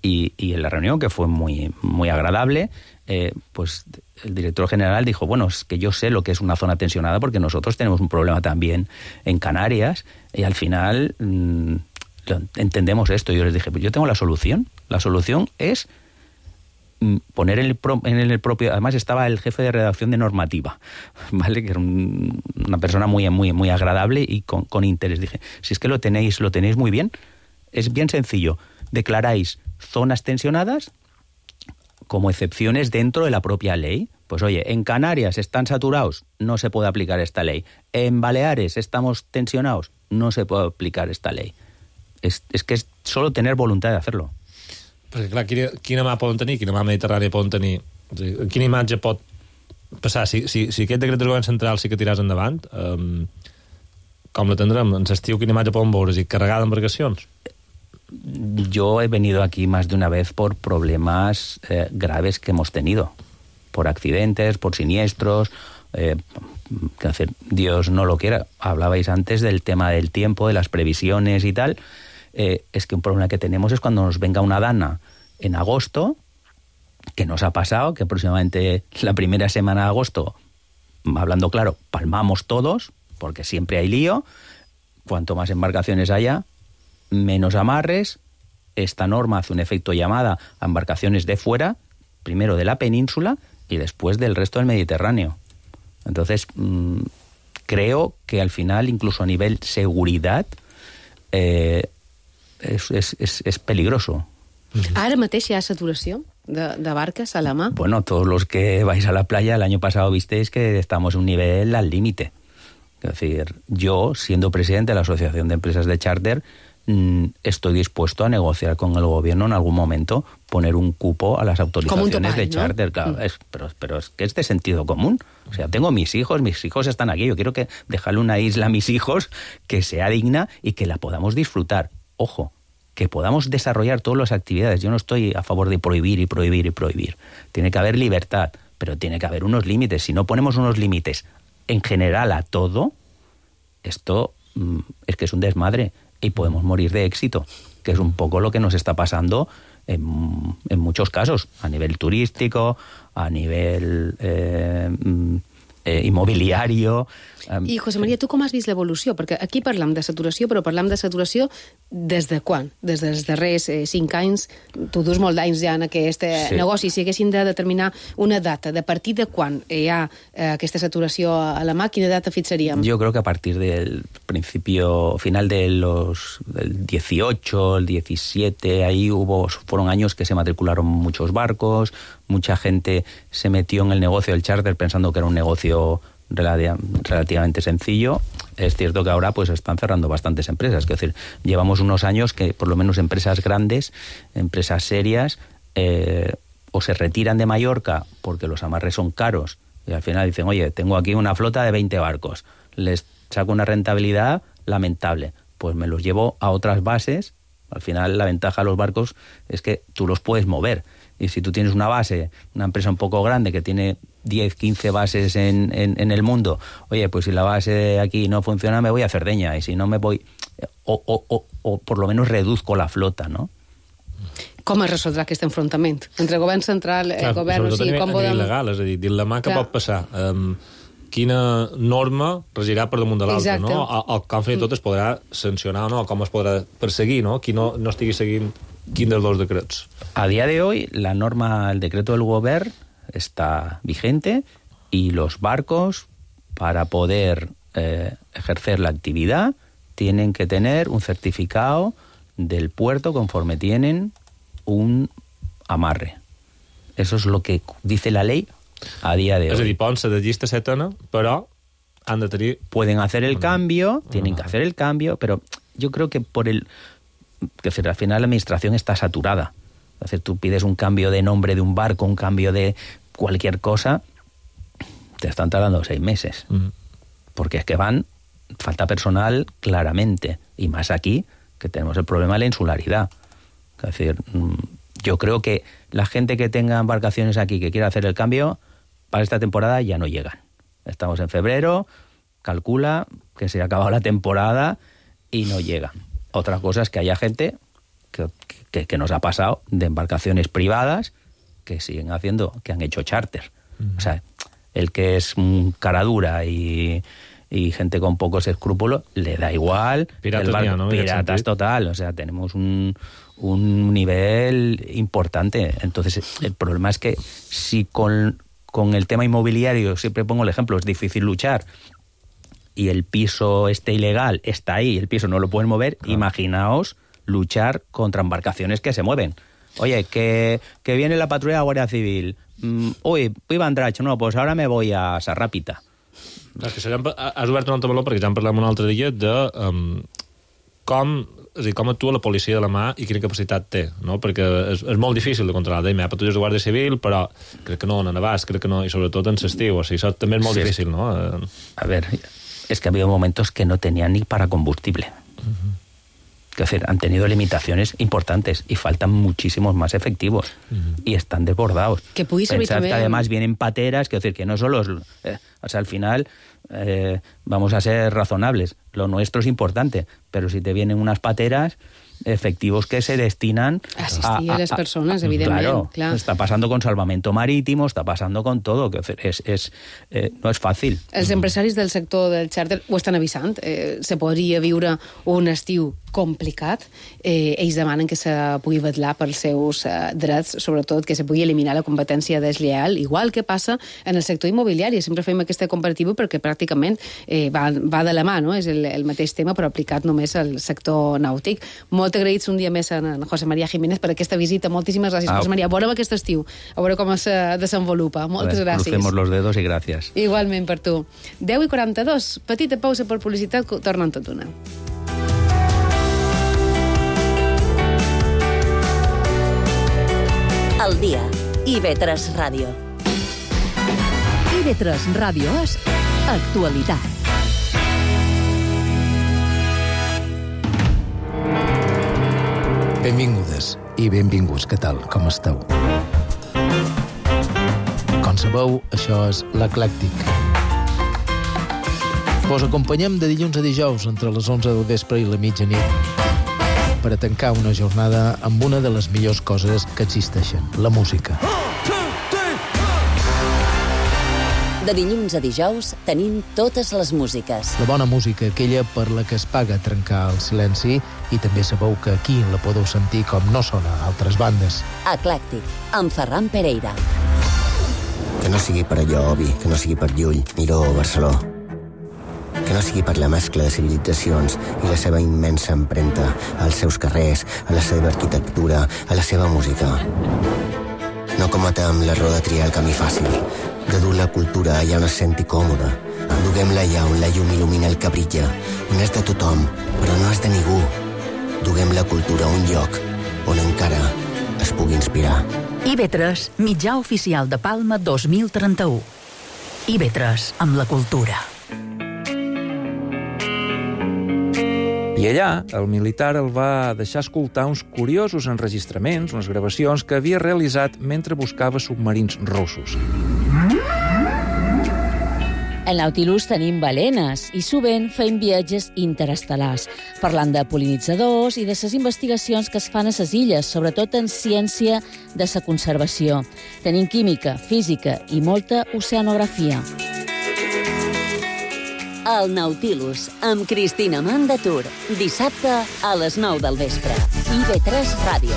P: y, y en la reunión, que fue muy, muy agradable, eh, pues el director general dijo, bueno, es que yo sé lo que es una zona tensionada porque nosotros tenemos un problema también en Canarias, y al final... Mmm, entendemos esto. Yo les dije, pues yo tengo la solución. La solución es poner en el, pro, en el propio... Además estaba el jefe de redacción de normativa, ¿vale? Que era un, una persona muy, muy, muy agradable y con, con interés. Dije, si es que lo tenéis, lo tenéis muy bien, es bien sencillo. Declaráis zonas tensionadas como excepciones dentro de la propia ley. Pues oye, en Canarias están saturados, no se puede aplicar esta ley. En Baleares estamos tensionados, no se puede aplicar esta ley. És, és que és solo tener voluntat de hacerlo.
E: Perquè, clar, quina, quina mà poden tenir, quina mà mediterrània poden tenir, quina imatge pot passar, si, si, si aquest decret del govern central sí que tiràs endavant, um, com la tindrem? En l'estiu quina imatge poden veure? I carregada d'embarcacions?
P: Yo he venido aquí más de una vez por problemas eh, graves que hemos tenido, por accidentes, por siniestros, eh, que hacer, Dios no lo quiera. Hablabais antes del tema del tiempo, de las previsiones y tal. Eh, es que un problema que tenemos es cuando nos venga una dana en agosto, que nos ha pasado, que aproximadamente la primera semana de agosto, hablando claro, palmamos todos, porque siempre hay lío. Cuanto más embarcaciones haya, menos amarres. Esta norma hace un efecto llamada a embarcaciones de fuera, primero de la península y después del resto del Mediterráneo. Entonces, mmm, creo que al final, incluso a nivel seguridad, eh, es, es, es, es peligroso.
C: Ara mateix hi ha saturació de, de barques a la mà?
P: Bueno, todos los que vais a la playa, el año pasado visteis que estamos en un nivel al límite. Es decir, yo, siendo presidente de la Asociación de Empresas de Charter, mmm, estoy dispuesto a negociar con el gobierno en algún momento, poner un cupo a las autorizaciones topaje, de charter. ¿No? Claro, mm. es, pero, pero es que es de sentido común. O sea, tengo mis hijos, mis hijos están aquí, yo quiero que dejarle una isla a mis hijos que sea digna y que la podamos disfrutar. Ojo, que podamos desarrollar todas las actividades. Yo no estoy a favor de prohibir y prohibir y prohibir. Tiene que haber libertad, pero tiene que haber unos límites. Si no ponemos unos límites en general a todo, esto mmm, es que es un desmadre y podemos morir de éxito, que es un poco lo que nos está pasando en, en muchos casos, a nivel turístico, a nivel eh, eh, inmobiliario.
C: I, José María, tu com has vist l'evolució? Perquè aquí parlam de saturació, però parlam de saturació des de quan? Des dels darrers eh, cinc anys? Tu dus molt d'anys ja en aquest sí. negoci. Si haguessin de determinar una data, de partir de quan hi ha eh, aquesta saturació a la mà, quina data fixaríem?
P: Yo creo que a partir del principio, final de los del dieciocho, el diecisiete, ahí hubo, fueron años que se matricularon muchos barcos, mucha gente se metió en el negocio del charter pensando que era un negocio relativamente sencillo. Es cierto que ahora pues están cerrando bastantes empresas, es decir, llevamos unos años que por lo menos empresas grandes, empresas serias, eh, o se retiran de Mallorca porque los amarres son caros y al final dicen, oye, tengo aquí una flota de veinte barcos, les saco una rentabilidad lamentable, pues me los llevo a otras bases. Al final la ventaja de los barcos es que tú los puedes mover. Y si tú tienes una base, una empresa un poco grande que tiene diez, quince bases en, en, en el mundo, oye, pues si la base aquí no funciona me voy a Cerdeña, y si no me voy, o, o, o, o por lo menos reduzco la flota, no?
C: Com es resoldrà aquest enfrontament entre govern central i eh, govern?
E: O sigui, com podem...
C: il·legal,
E: és a dir, dins la mà que pot passar, um, quina norma regirà per damunt de l'altra, no? El, el que han fet tot es podrà sancionar, no? Com es podrà perseguir, no? Qui no, no estigui seguint quin dels dos decrets.
P: A día de hoy, la norma, el decreto del gobierno está vigente y los barcos, para poder eh, ejercer la actividad, tienen que tener un certificado del puerto conforme tienen un amarre. Eso es lo que dice la ley a día de hoy.
E: És a dir, poden ser de llista setena, però han de tenir...
P: Pueden hacer el cambio, tienen que hacer el cambio, pero yo creo que por el... que al final la administración está saturada. Es decir, tú pides un cambio de nombre de un barco, un cambio de cualquier cosa, te están tardando seis meses. Mm. Porque es que van, falta personal claramente, y más aquí, que tenemos el problema de la insularidad. Es decir, yo creo que la gente que tenga embarcaciones aquí que quiera hacer el cambio, para esta temporada ya no llegan. Estamos en febrero, calcula que se ha acabado la temporada y no llegan. Otra cosa es que haya gente que, que, que nos ha pasado de embarcaciones privadas que siguen haciendo, que han hecho charter. Mm. O sea, el que es un cara dura y, y gente con pocos escrúpulos, le da igual.
E: Piratas,
P: el barco,
E: ya, ¿no?
P: Piratas total. O sea, tenemos un, un nivel importante. Entonces, el problema es que si con, con el tema inmobiliario, siempre pongo el ejemplo, es difícil luchar, y el piso este ilegal está ahí, el piso no lo pueden mover, claro. Imaginaos luchar contra embarcaciones que se mueven. Oye, que, que viene la patrulla de Guardia Civil. Mm, uy, iba a Andratx, no, pues ahora me voy a Sarràpita.
E: És que ja has obert un altre meló, perquè ja en parlem un altre dia, de um, com, és a dir, com actua la policia de la mà i quina capacitat té, no? Perquè és, és molt difícil de controlar. Deim, hi ha patrulles de Guàrdia Civil, però crec que no en abast, crec que no, i sobretot en l'estiu. O sigui, això també és molt sí, difícil, no?
P: A ver, es que ha habido momentos que no tenían ni para combustible. Uh-huh. Es decir, han tenido limitaciones importantes y faltan muchísimos más efectivos. Uh-huh. Y están desbordados.
C: Que pudiese
P: Pensad
C: también...
P: que además vienen pateras, que decir, que no solo es, eh, o sea, al final eh, vamos a ser razonables. Lo nuestro es importante, pero si te vienen unas pateras, efectivos que se destinan
C: asistir a, a, a las personas, evidentment.
P: Claro,
C: clar.
P: Està passant con salvamento marítimo, està passant con todo, que és, és, eh, no és fàcil.
C: Els empresaris del sector del xàrter ho estan avisant. Eh, se podria viure un estiu complicat. Eh, ells demanen que se pugui vetllar pels seus eh, drets, sobretot que se pugui eliminar la competència deslleial, igual que passa en el sector immobiliari. Sempre fem aquesta comparativa perquè pràcticament eh, va, va de la mà, no? És el, el mateix tema, però aplicat només al sector nàutic. Molt agraïts un dia més a en José María Jiménez per aquesta visita. Moltíssimes gràcies, ah. José María. Veurem aquest estiu, a veure com se desenvolupa. Moltes
P: ver,
C: gràcies.
P: Crucemos los dedos i gràcies.
C: Igualment per tu. deu i quaranta-dos. Petita pausa per publicitat, tornen tot una.
G: El dia. I ve tres Ràdio.
B: I ve tres Ràdio és actualitat.
Q: Benvingudes i benvinguts. Què tal? Com esteu? Com sabeu, això és l'Eclèctic. Vos acompanyem de dilluns a dijous entre les onze del vespre i la mitjanit per a tancar una jornada amb una de les millors coses que existeixen, la música.
G: De dilluns a dijous tenim totes les músiques.
Q: La bona música, aquella per la que es paga trencar el silenci, i també sabeu que aquí la podeu sentir com no sona a altres bandes.
G: Eclèctic, amb Ferran Pereira.
R: Que no sigui per allò, Obi, que no sigui per Llull, Miró o Barceló. Que no sigui per la mescla de civilitzacions i la seva immensa empremta als seus carrers, a la seva arquitectura, a la seva música. No cometem l'error de triar el camí fàcil, de dur la cultura allà on es senti còmoda. Duguem-la allà on la llum il·lumina el que brilla, on és de tothom, però no és de ningú. Duguem la cultura a un lloc on encara es pugui inspirar.
B: I ve tres, mitjà oficial de Palma dos mil trenta-u. I ve tres, amb la cultura.
F: I allà, el militar el va deixar escoltar uns curiosos enregistraments, unes gravacions que havia realitzat mentre buscava submarins russos.
S: En Nautilus tenim balenes i sovint fem viatges interestel·lars, parlant de pol·linitzadors i de les investigacions que es fan a les illes, sobretot en ciència de la conservació. Tenim química, física i molta oceanografia.
G: El Nautilus, amb Cristina Mandatur, dissabte a les nou del vespre. I ve tres Ràdio.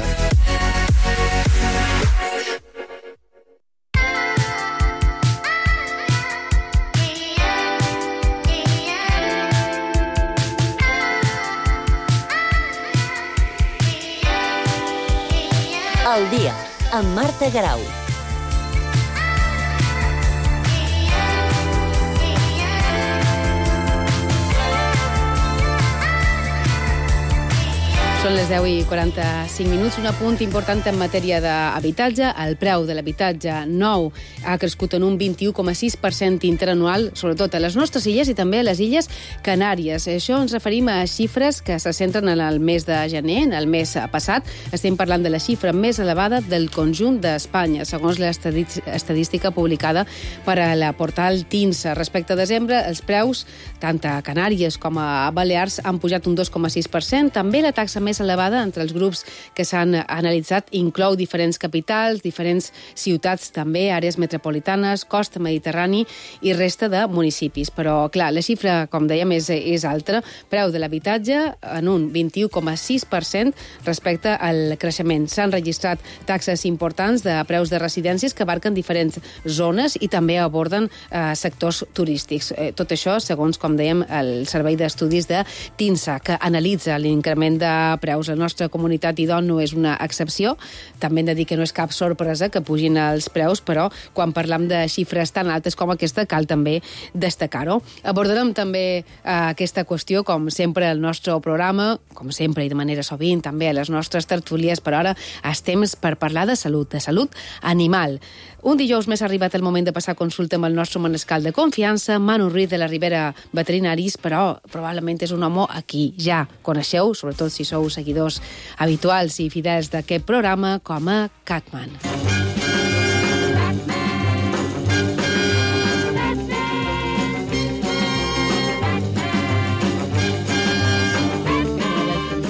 G: El dia, amb Marta Garau.
C: Són les deu i quaranta-cinc minuts. Un apunt important en matèria d'habitatge. El preu de l'habitatge nou ha crescut en un vint-i-u coma sis per cent interanual, sobretot a les nostres illes i també a les illes Canàries. Això ens referim a xifres que se centren en el mes de gener, en el mes passat. Estem parlant de la xifra més elevada del conjunt d'Espanya, segons l'estadística publicada per a la portal TINSA. Respecte a desembre, els preus, tant a Canàries com a Balears, han pujat un dos coma sis per cent. També la taxa més elevada entre els grups que s'han analitzat inclou diferents capitals, diferents ciutats també, àrees metropolitanes, costa mediterrani i resta de municipis. Però, clar, la xifra, com dèiem, és, és alta. Preu de l'habitatge en un vint-i-u coma sis per cent respecte al creixement. S'han registrat taxes importants de preus de residències que abarquen diferents zones i també aborden eh, sectors turístics. Eh, tot això, segons, com dèiem, el Servei d'Estudis de TINSA, que analitza l'increment de preus. La nostra comunitat idon no és una excepció. També hem de dir que no és cap sorpresa que pugin els preus, però quan parlam de xifres tan altes com aquesta cal també destacar-ho. Abordarem també eh, aquesta qüestió, com sempre, al nostre programa, com sempre i de manera sovint, també a les nostres tertúlies, però ara és temps per parlar de salut, de salut animal. Un dijous més ha arribat el moment de passar consulta amb el nostre manescal de confiança, Manu Ruiz de la Ribera Veterinaris, però probablement és un home a qui ja coneixeu, sobretot si sou seguidors habituals i fidels d'aquest programa, com a Catman.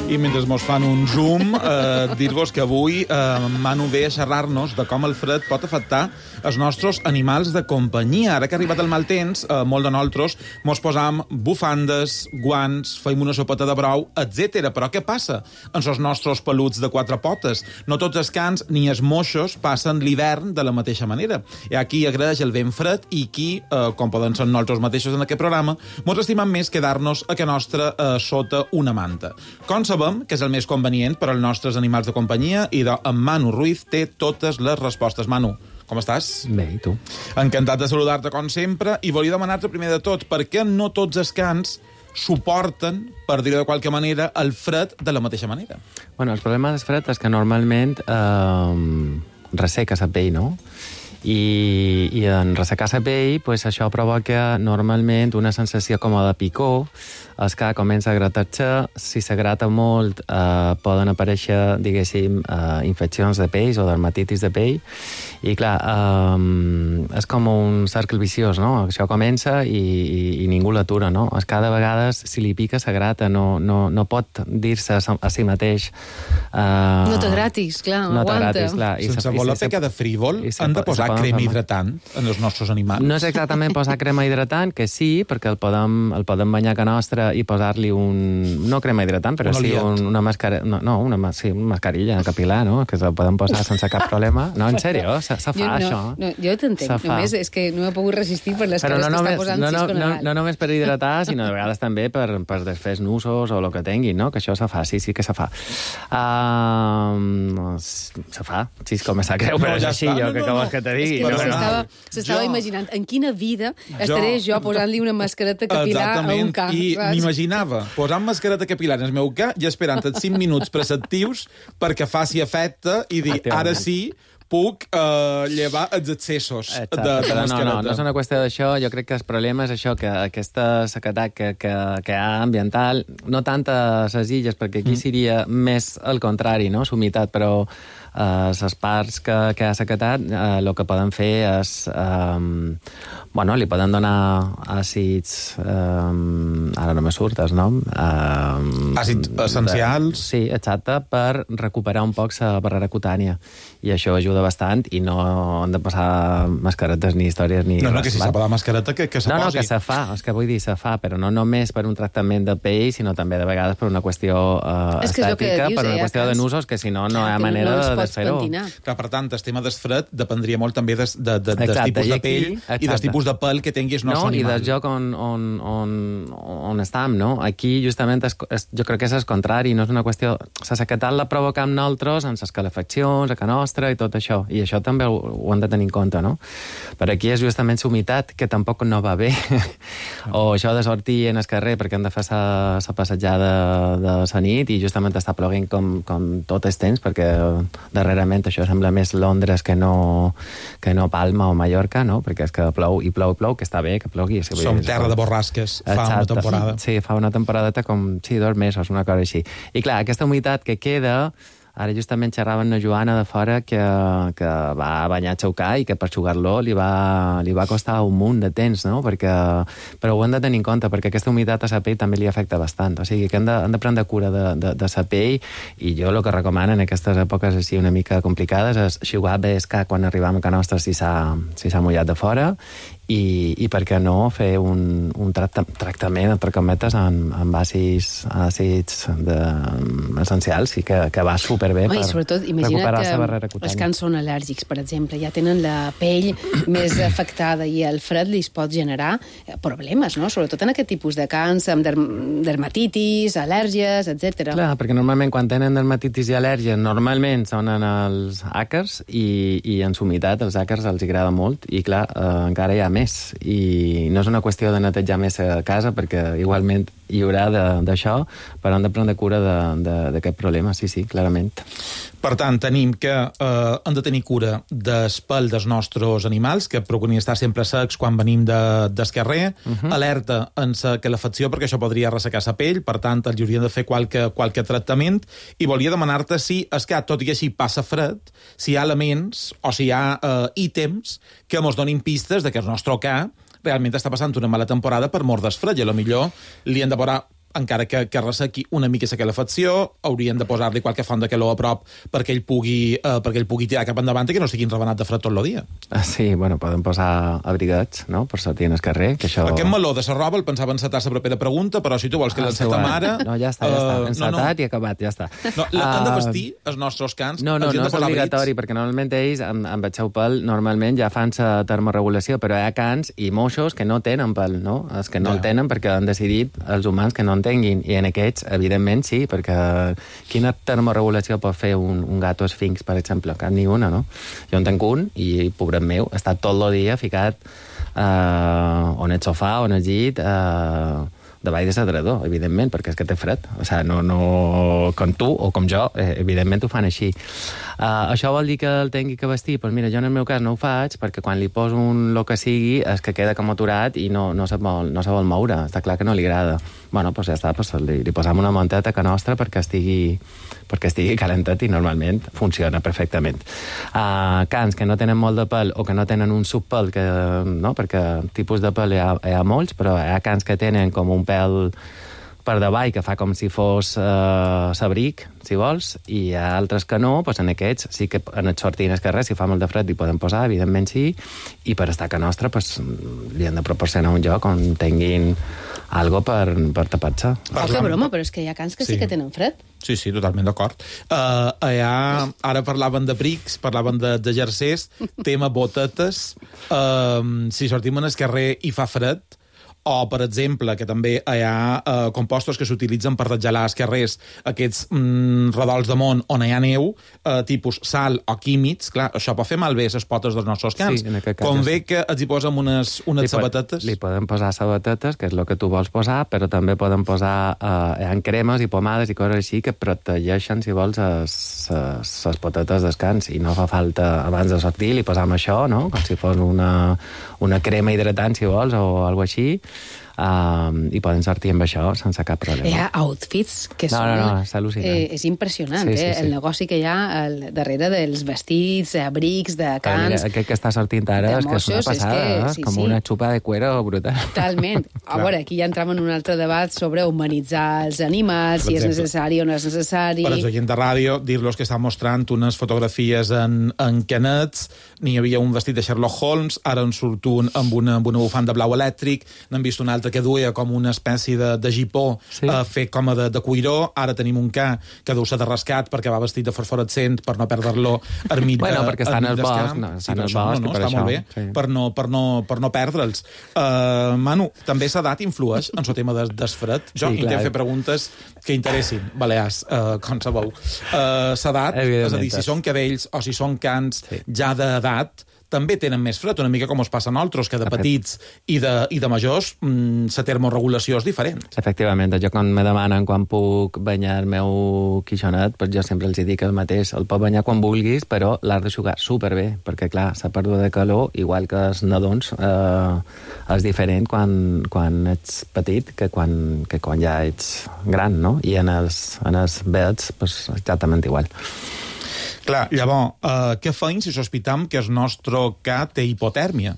T: I mentre mos fan un zoom, eh, dir-vos que avui eh, Manu ve a xerrar-nos de com el fred pot afectar els nostres animals de companyia. Ara que ha arribat el mal temps, eh, molt de nosaltres mos posam bufandes, guants, feim una sopeta de brou, etcètera. Però què passa amb els nostres peluts de quatre potes? No tots els cans ni els moixos passen l'hivern de la mateixa manera. Hi ha qui agraeix el vent fred i qui, eh, com poden ser nosaltres mateixos en aquest programa, mos estimem més quedar-nos a que nostra eh, sota una manta. Com sabem que és el més convenient per als nostres animals de companyia i de, en Manu Ruiz té totes les respostes. Manu, com estàs?
U: Bé, i tu?
T: Encantat de saludar-te com sempre i volia demanar-te primer de tot per què no tots els cans suporten, per dir-ho de qualque manera, el fred de la mateixa manera.
U: Bueno, el problema del fred és que normalment eh, resseca la pell, no? I, i en ressecar la pell, pues, això provoca normalment una sensació com de picor, el que comença a gratar-se, si se grata molt eh, poden aparèixer, diguéssim, eh, infeccions de pells o dermatitis de pell, i clar, eh, és com un cercle viciós, no? Això comença i, i, i ningú l'atura, no? És cada vegada, si li pica, se grata, no, no, no pot dir-se a si mateix... Eh,
C: no te gratis, clar,
U: no
C: aguanta.
U: Gratis, clar. I
T: Sense
U: se,
T: voler
U: se,
T: pecar de frívol,
U: se,
T: han de posar crema
U: fer...
T: hidratant en els nostres animals.
U: No és exactament posar crema hidratant, que sí, perquè el podem, el podem banyar a nostra i posar-li un... no crema hidratant, però
T: un
U: sí un, una mascara... No, no una, sí, una mascarilla capilar, no? Que se podem posar sense cap problema. No, en sèrio, se, se fa,
C: jo, no,
U: això.
C: No, jo t'entenc, només és que no he pogut resistir per les
U: però
C: cares
U: no
C: que
U: només,
C: està posant
U: no, no,
C: Cisco
U: no,
C: Nadal.
U: no només per hidratar, sinó de vegades també per, per desfer nusos o el que tinguin, no? Que això se fa, sí, sí que se fa. Uh, se fa, Cisco, me sap greu, però no, ja és així, jo, no, que no, vols que te digui.
C: És que
U: no,
C: s'estava
U: no.
C: jo... imaginant en quina vida estaré jo, jo posant-li una mascareta capilar a un ca.
T: I m'imaginava posant mascareta capilar en el meu ca i esperant els cinc minuts preceptius perquè faci efecte i dir, ara sí, puc uh, llevar els excessos de, de mascareta.
U: No, no, no és una qüestió d'això. Jo crec que el problema és això, que aquesta sequedat que, que, que hi ha ambiental, no tant a les illes, perquè aquí mm. seria més al contrari, no?, l'humitat, però les uh, parts que, que ha sequetat, el uh, que poden fer és... Um, bueno, li poden donar àcids... Um, ara no me surt el nom. Um,
T: àcids essencials?
U: De, sí, exacte, per recuperar un poc la barrera cutània. I això ajuda bastant i no han de passar mascaretes ni històries ni...
T: No, no,
U: res,
T: que si s'ha de mascareta, que, que se
U: no,
T: posi.
U: No, que se fa, és que vull dir, se fa, però no només per un tractament de pell, sinó també de vegades per una qüestió uh, estètica, dius, per una eh, qüestió de nusos, que si no, no hi ha manera no de fer-ho.
T: Clar, per tant, el tema del fred dependria molt també des, de, de, de, del tipus de pell aquí, i del tipus de pèl que tinguis el nostre
U: no,
T: animal.
U: I del lloc on, on, on, on estem, no? Aquí, justament, és, és, jo crec que és el contrari, no és una qüestió... La sequetat la provocam nosaltres amb les calefaccions, a casa nostra i tot això, i això també ho, ho hem de tenir en compte, no? Per aquí és justament la humitat, que tampoc no va bé, o això de sortir en el carrer perquè hem de fer la passejada de la nit i justament està ploguent com, com tot el temps, perquè darrerament això sembla més Londres que no, que no Palma o Mallorca, no? Perquè és que plou i plou i plou, que està bé que plogui. Si
T: Som terra de borrasques fa Exacte. una temporada.
U: Sí, fa una temporadeta com, sí, dos mesos, una cosa així. I clar, aquesta humitat que queda... Ara justament xerrava amb una Joana de fora que, que va banyar el seu ca i que per jugar-lo li, va, li va costar un munt de temps, no? Perquè, però ho hem de tenir en compte, perquè aquesta humitat a la pell també li afecta bastant. O sigui, que hem de, hem de prendre cura de, de, de la pell i jo el que recomano en aquestes èpoques així una mica complicades és xugar bé el ca quan arribam a casa nostra si s'ha si s'ha mullat de fora i, i per què no fer un, un tracta, tractament, entre cometes, amb, amb àcids, àcids de, um, essencials i que, que va superbé
C: Oi,
U: per
C: sobretot,
U: recuperar la barrera
C: cutània. Els cans són al·lèrgics, per exemple, ja tenen la pell més afectada i el fred li pot generar problemes, no? Sobretot en aquest tipus de cans, amb derm dermatitis, al·lèrgies, etcètera.
U: Clar, perquè normalment quan tenen dermatitis i al·lèrgies normalment són en els àcars i, i en humitat els àcars els agrada molt i clar, eh, encara hi ha més i no és una qüestió de netejar més a casa perquè igualment hi haurà d'això, però hem de prendre cura d'aquest problema, sí, sí, clarament.
T: Per tant, tenim que eh, hem de tenir cura del pèl dels nostres animals, que procurin estar sempre secs quan venim de, del carrer, uh -huh. alerta en la calefacció, perquè això podria ressecar la pell, per tant, els haurien de fer qualque, qualque tractament, i volia demanar-te si, és que tot i així passa fred, si hi ha elements o si hi ha eh, ítems que ens donin pistes de que el nostre ca realment està passant una mala temporada per mort del fred, i a lo millor li hem de posar encara que, que ressequi una mica la calefacció, haurien de posar-li qualque font de calor a prop perquè ell pugui, eh, perquè ell pugui tirar cap endavant i que no estiguin rebenat de fred tot el dia.
U: Ah, sí, bueno, poden posar abrigats, no?, per sortir al carrer, que això...
T: Aquest meló de la roba el pensava encetar la propera pregunta, però si tu vols que
U: ah,
T: l'encetem ara...
U: No, ja està, ja està,
T: uh,
U: encetat
T: no, no.
U: i acabat, ja està.
T: No, l'han de vestir, els nostres cans?
U: No, no, no és obligatori, perquè normalment ells, amb, amb el seu pèl, normalment ja fan la termorregulació, però hi ha cans i moixos que no tenen pèl, no? Els que no ja. el tenen perquè han decidit els humans que no en tinguin, i en aquests, evidentment, sí, perquè quina termorregulació pot fer un, un gato esfinx, per exemple? Cap ni una, no? Jo en tenc un i, pobret meu, està tot el dia ficat eh, on el sofà, on el llit, eh, davall de l'adredor, evidentment, perquè és que té fred. O sigui, no, no, com tu o com jo, eh, evidentment ho fan així. Uh, això vol dir que el tingui que vestir? Doncs mira, jo en el meu cas no ho faig, perquè quan li poso un lo que sigui és que queda com aturat i no, no, se vol, no se vol moure. Està clar que no li agrada. Bueno, doncs ja està, doncs li, li posam una manteta que nostra perquè estigui, perquè estigui calentat i normalment funciona perfectament. Uh, cans que no tenen molt de pèl o que no tenen un subpèl, que, no? Perquè tipus de pèl hi ha, hi ha molts, però hi ha cans que tenen com un pèl per davall, que fa com si fos eh, sabric, si vols, i hi ha altres que no, doncs en aquests sí que en els sortines que res, si fa molt de fred, hi podem posar, evidentment sí, i per estar que nostra, doncs, li han de proporcionar un lloc on tinguin algo per, per tapar-se.
C: Oh, que broma, però és que hi ha cans que sí, sí que tenen fred.
T: Sí, sí, totalment d'acord. Uh, ha, ara parlaven de brics, parlaven de, de jersers, tema botetes. Uh, si sortim en el carrer i fa fred, o, per exemple, que també hi ha eh, compostos que s'utilitzen per desgelar els carrers, aquests mm, redols de món on hi ha neu, eh, tipus sal o químics, clar, això pot fer malbé les potes dels nostres cans.
U: Sí,
T: Convé que els hi posem unes, unes
U: li
T: sabatetes.
U: Li podem posar sabatetes, que és el que tu vols posar, però també podem posar eh, hi ha cremes i pomades i coses així que protegeixen, si vols, les potetes dels cans, i no fa falta, abans de sortir, li posam això, no?, com si fos una, una crema hidratant, si vols, o alguna així, Um, i poden sortir amb això sense cap problema.
C: Hi ha outfits que
U: no,
C: són...
U: No, no, és al·lucinant.
C: Eh, és impressionant,
U: sí, sí,
C: eh?
U: sí.
C: El negoci que hi ha al darrere dels vestits, abrics, de cans...
U: Mira, aquest que està sortint ara és que és una passada, és que, sí, com sí. una xupa de cuero brutal.
C: Totalment. A veure, aquí ja entrem en un altre debat sobre humanitzar els animals, per si exemple, és necessari o no és necessari...
T: Per als oients de ràdio, dir-los que estan mostrant unes fotografies en, en canets, n'hi havia un vestit de Sherlock Holmes, ara en surt un amb una, amb una bufanda blau elèctric, n'han vist un altre que duia com una espècie de, de gipó sí. eh, fet com a de, de cuiró. Ara tenim un ca que deu ser de rescat perquè va vestit de fosforescent per no perdre-lo ermit
U: bueno,
T: de,
U: perquè està en el bosc, no,
T: sí,
U: està en el
T: això,
U: bosc
T: no, no,
U: per
T: està
U: això.
T: molt bé, sí. per, no, per, no, per no perdre'ls. Uh, Manu, també l'edat influeix en el tema des, des fred? Jo sí, intento fer preguntes que interessin, Balears, uh, com sabeu. Uh, l'edat, és a dir, si són cadells o si són cans sí. ja d'edat, també tenen més fred, una mica com es passa a nosaltres, que de petits i de, i de majors mmm, la termorregulació és diferent.
U: Efectivament, jo quan me demanen quan puc banyar el meu quixonet, pues jo sempre els dic el mateix, el pot banyar quan vulguis, però l'has de jugar superbé, perquè clar, la pèrdua de calor, igual que els nadons, eh, és diferent quan, quan ets petit que quan, que quan ja ets gran, no? I en els, en els vets, pues, exactament igual.
T: Clar, llavors, uh, què feim si sospitam que el nostre ca té hipotèrmia?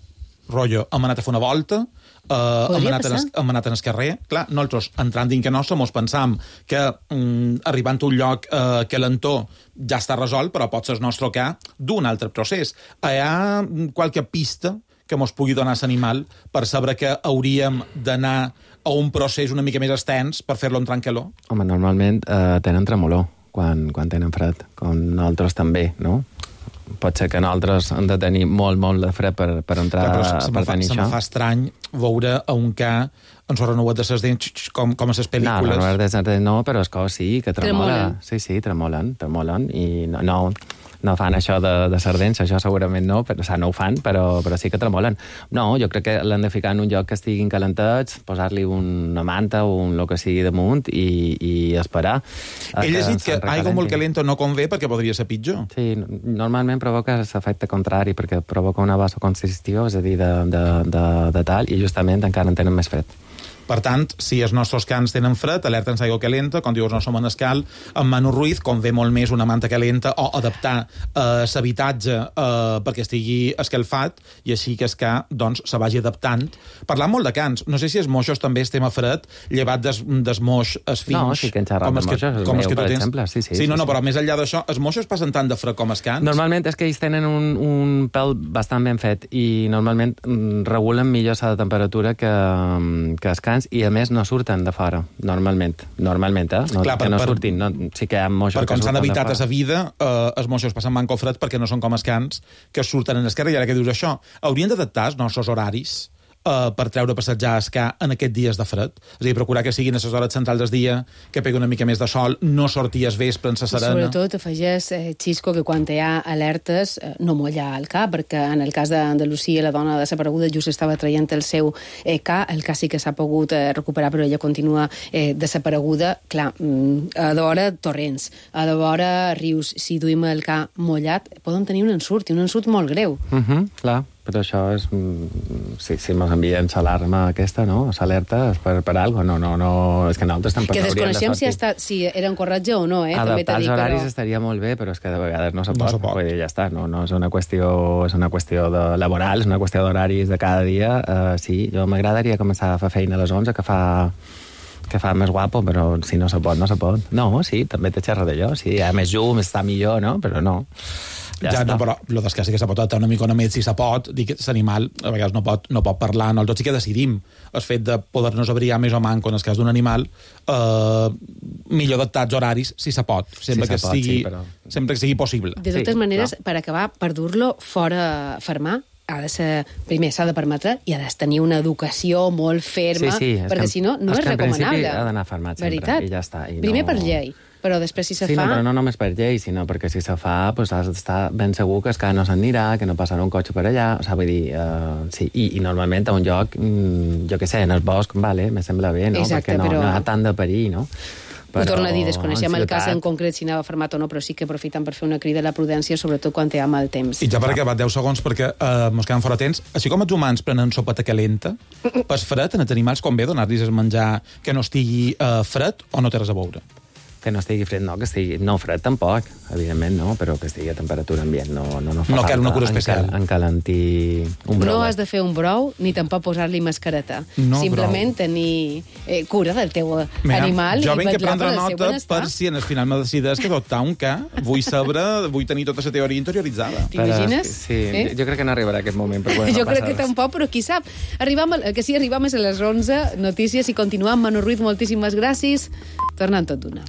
T: Rotllo, hem anat a fer una volta, uh, hem, anat en es, hem anat en el carrer, clar, nosaltres entrant dins que nostre mos pensam que um, arribant a un lloc uh, que l'entor ja està resolt, però pot ser el nostre ca d'un altre procés. Hi ha qualque pista que mos pugui donar l'animal per saber que hauríem d'anar a un procés una mica més extens per fer-lo entrar en calor?
U: Home, normalment uh, tenen tremolor quan, quan tenen fred, com nosaltres també, no? Pot ser que nosaltres hem de tenir molt, molt de fred per, per entrar,
T: clar,
U: per
T: fa,
U: tenir
T: se
U: això.
T: Se me fa estrany veure a un ca en s'ho renovat de ses dents com, com a ses pel·lícules.
U: No, no, no, no, però és que sí, que tremola.
C: Tremolen.
U: Sí, sí, tremolen, tremolen, i no... no no fan això de, de sardents, això segurament no, però, o sigui, no ho fan, però, però sí que tremolen. No, jo crec que l'han de ficar en un lloc que estiguin calentats, posar-li una manta o un lo que sigui damunt i, i esperar.
T: He llegit que, que aigua molt calenta no convé perquè podria ser pitjor.
U: Sí, normalment provoca l'efecte contrari, perquè provoca una vasoconstricció, és a dir, de, de, de, de tal, i justament encara en tenen més fred.
T: Per tant, si els nostres cans tenen fred, alerta'ns aigua calenta, com diu el nostre manescal, en Manu Ruiz, convé molt més una manta calenta o adaptar eh, l'habitatge eh, perquè estigui escalfat i així que el ca doncs, se vagi adaptant. Parlant molt de cans, no sé si els moixos també estem a fred, llevat des, des moix es fins.
U: No, sí que en xerrat de moixos, el meu, per exemple. Sí, sí,
T: sí, no,
U: sí,
T: no,
U: sí.
T: Però més enllà d'això, els moixos passen tant de fred com els cans?
U: Normalment és que ells tenen un, un pèl bastant ben fet i normalment regulen millor la temperatura que, que els cans i a més no surten de fora, normalment. Normalment, eh? No, Clar, per, que no per, surtin. No, sí que hi ha moixos
T: per
U: que
T: com s'han
U: surten de
T: evitat
U: fora.
T: a sa vida, eh, els moixos passen manco fred perquè no són com els cans que surten en esquerra. I ara que dius això, haurien d'adaptar els nostres horaris Uh, per treure a passejar a escà en aquests dies de fred. És a dir, procurar que siguin a les hores centrals del dia, que pegui una mica més de sol, no sortir al vespre en sa serena.
C: Sobretot afegeix, eh, Xisco, que quan hi ha alertes eh, no mullar el ca, perquè en el cas d'Andalusia la dona desapareguda just estava traient el seu eh, ca, el cas sí que s'ha pogut eh, recuperar, però ella continua eh, desapareguda. Clar, mm, a d'hora torrents, a d'hora rius, si duim el ca mullat, poden tenir un ensurt, i un ensurt molt greu.
U: Uh -huh, clar. Però això és... Si, si ens envien l'alarma aquesta, no? L'alerta és per, per alguna cosa. No, no, no... És que nosaltres tampoc
C: que
U: hauríem de
C: desconeixem
U: sortir.
C: si, està, si era un corretge o no, eh?
U: Adaptar els horaris
C: però...
U: estaria molt bé, però és que de vegades no se pot.
T: No se pot.
U: Vull dir, ja està. No, no és una qüestió, és una qüestió de laboral, és una qüestió d'horaris de cada dia. Uh, sí, jo m'agradaria començar a fer feina a les onze, que fa... que fa més guapo, però si no se pot, no se pot. No, sí, també te xerra d'allò. Sí, hi ha més llum, està millor, no? Però no.
T: Ja, ja no, però el que sí que se pot adaptar una mica més si se pot, dir que l'animal a vegades no pot, no pot parlar, nosaltres sí que decidim el fet de poder-nos abrigar més o manco en el cas d'un animal, eh, millor adaptats horaris si se pot, sempre,
U: si
T: que,
U: se pot,
T: sigui,
U: sí, però...
T: sempre que sigui possible.
C: De totes
U: sí,
C: maneres,
U: clar.
C: per acabar, per dur-lo fora fermar, ha de ser, primer s'ha de permetre i ha de tenir una educació molt ferma,
U: sí, sí,
C: perquè
U: que,
C: si no, no és,
U: és recomanable.
C: recomanable.
U: Ha d'anar fermat sempre,
C: veritat.
U: i ja està. I
C: primer
U: no...
C: per llei, però després si se
U: sí,
C: fa...
U: Sí, no, però no només per llei, sinó perquè si se fa pues, has d'estar ben segur que es que no s'anirà, que no passarà un cotxe per allà, o sigui, vull dir, uh, sí, i, i normalment a un lloc, mm, jo què sé, en el bosc, vale, me sembla bé, no?
C: Exacte,
U: perquè no,
C: però...
U: no hi ha tant de perill, no?
C: Però, ho torno a dir, desconeixem el cas en
U: ciutat...
C: concret si anava fermat o no, però sí que aprofitant per fer una crida a la prudència, sobretot quan hi ha mal temps.
T: I ja per acabar, deu segons, perquè uh, mos quedem fora temps. Així com els humans prenen sopeta calenta, per fred, en els animals convé donar-los el menjar que no estigui uh, fred o no té res a veure?
U: Que no estigui fred, no, que estigui... No, fred tampoc, evidentment, no, però que estigui a temperatura ambient. No, no, no fa
T: no cal una cura especial.
U: Encalentir un brou.
C: No has de fer un brou, ni tampoc posar-li mascareta.
T: No,
C: simplement
T: brou.
C: tenir eh, cura del teu
T: Mira,
C: animal
T: jo
C: i
T: vinc a
C: vetllar
T: prendre
C: pel seu
T: nota
C: benestar.
T: per si en el final me decideix que adoptar un ca, vull saber, vull tenir tota la teoria interioritzada.
C: T'imagines?
U: Sí,
C: eh?
U: jo crec que no arribarà aquest moment. Però bueno,
C: jo
U: no
C: crec que
U: res.
C: tampoc, però qui sap. Arribam a, que sí, arribam a les onze notícies i continuam. Manu Ruiz, moltíssimes gràcies. Tornant tot d'una.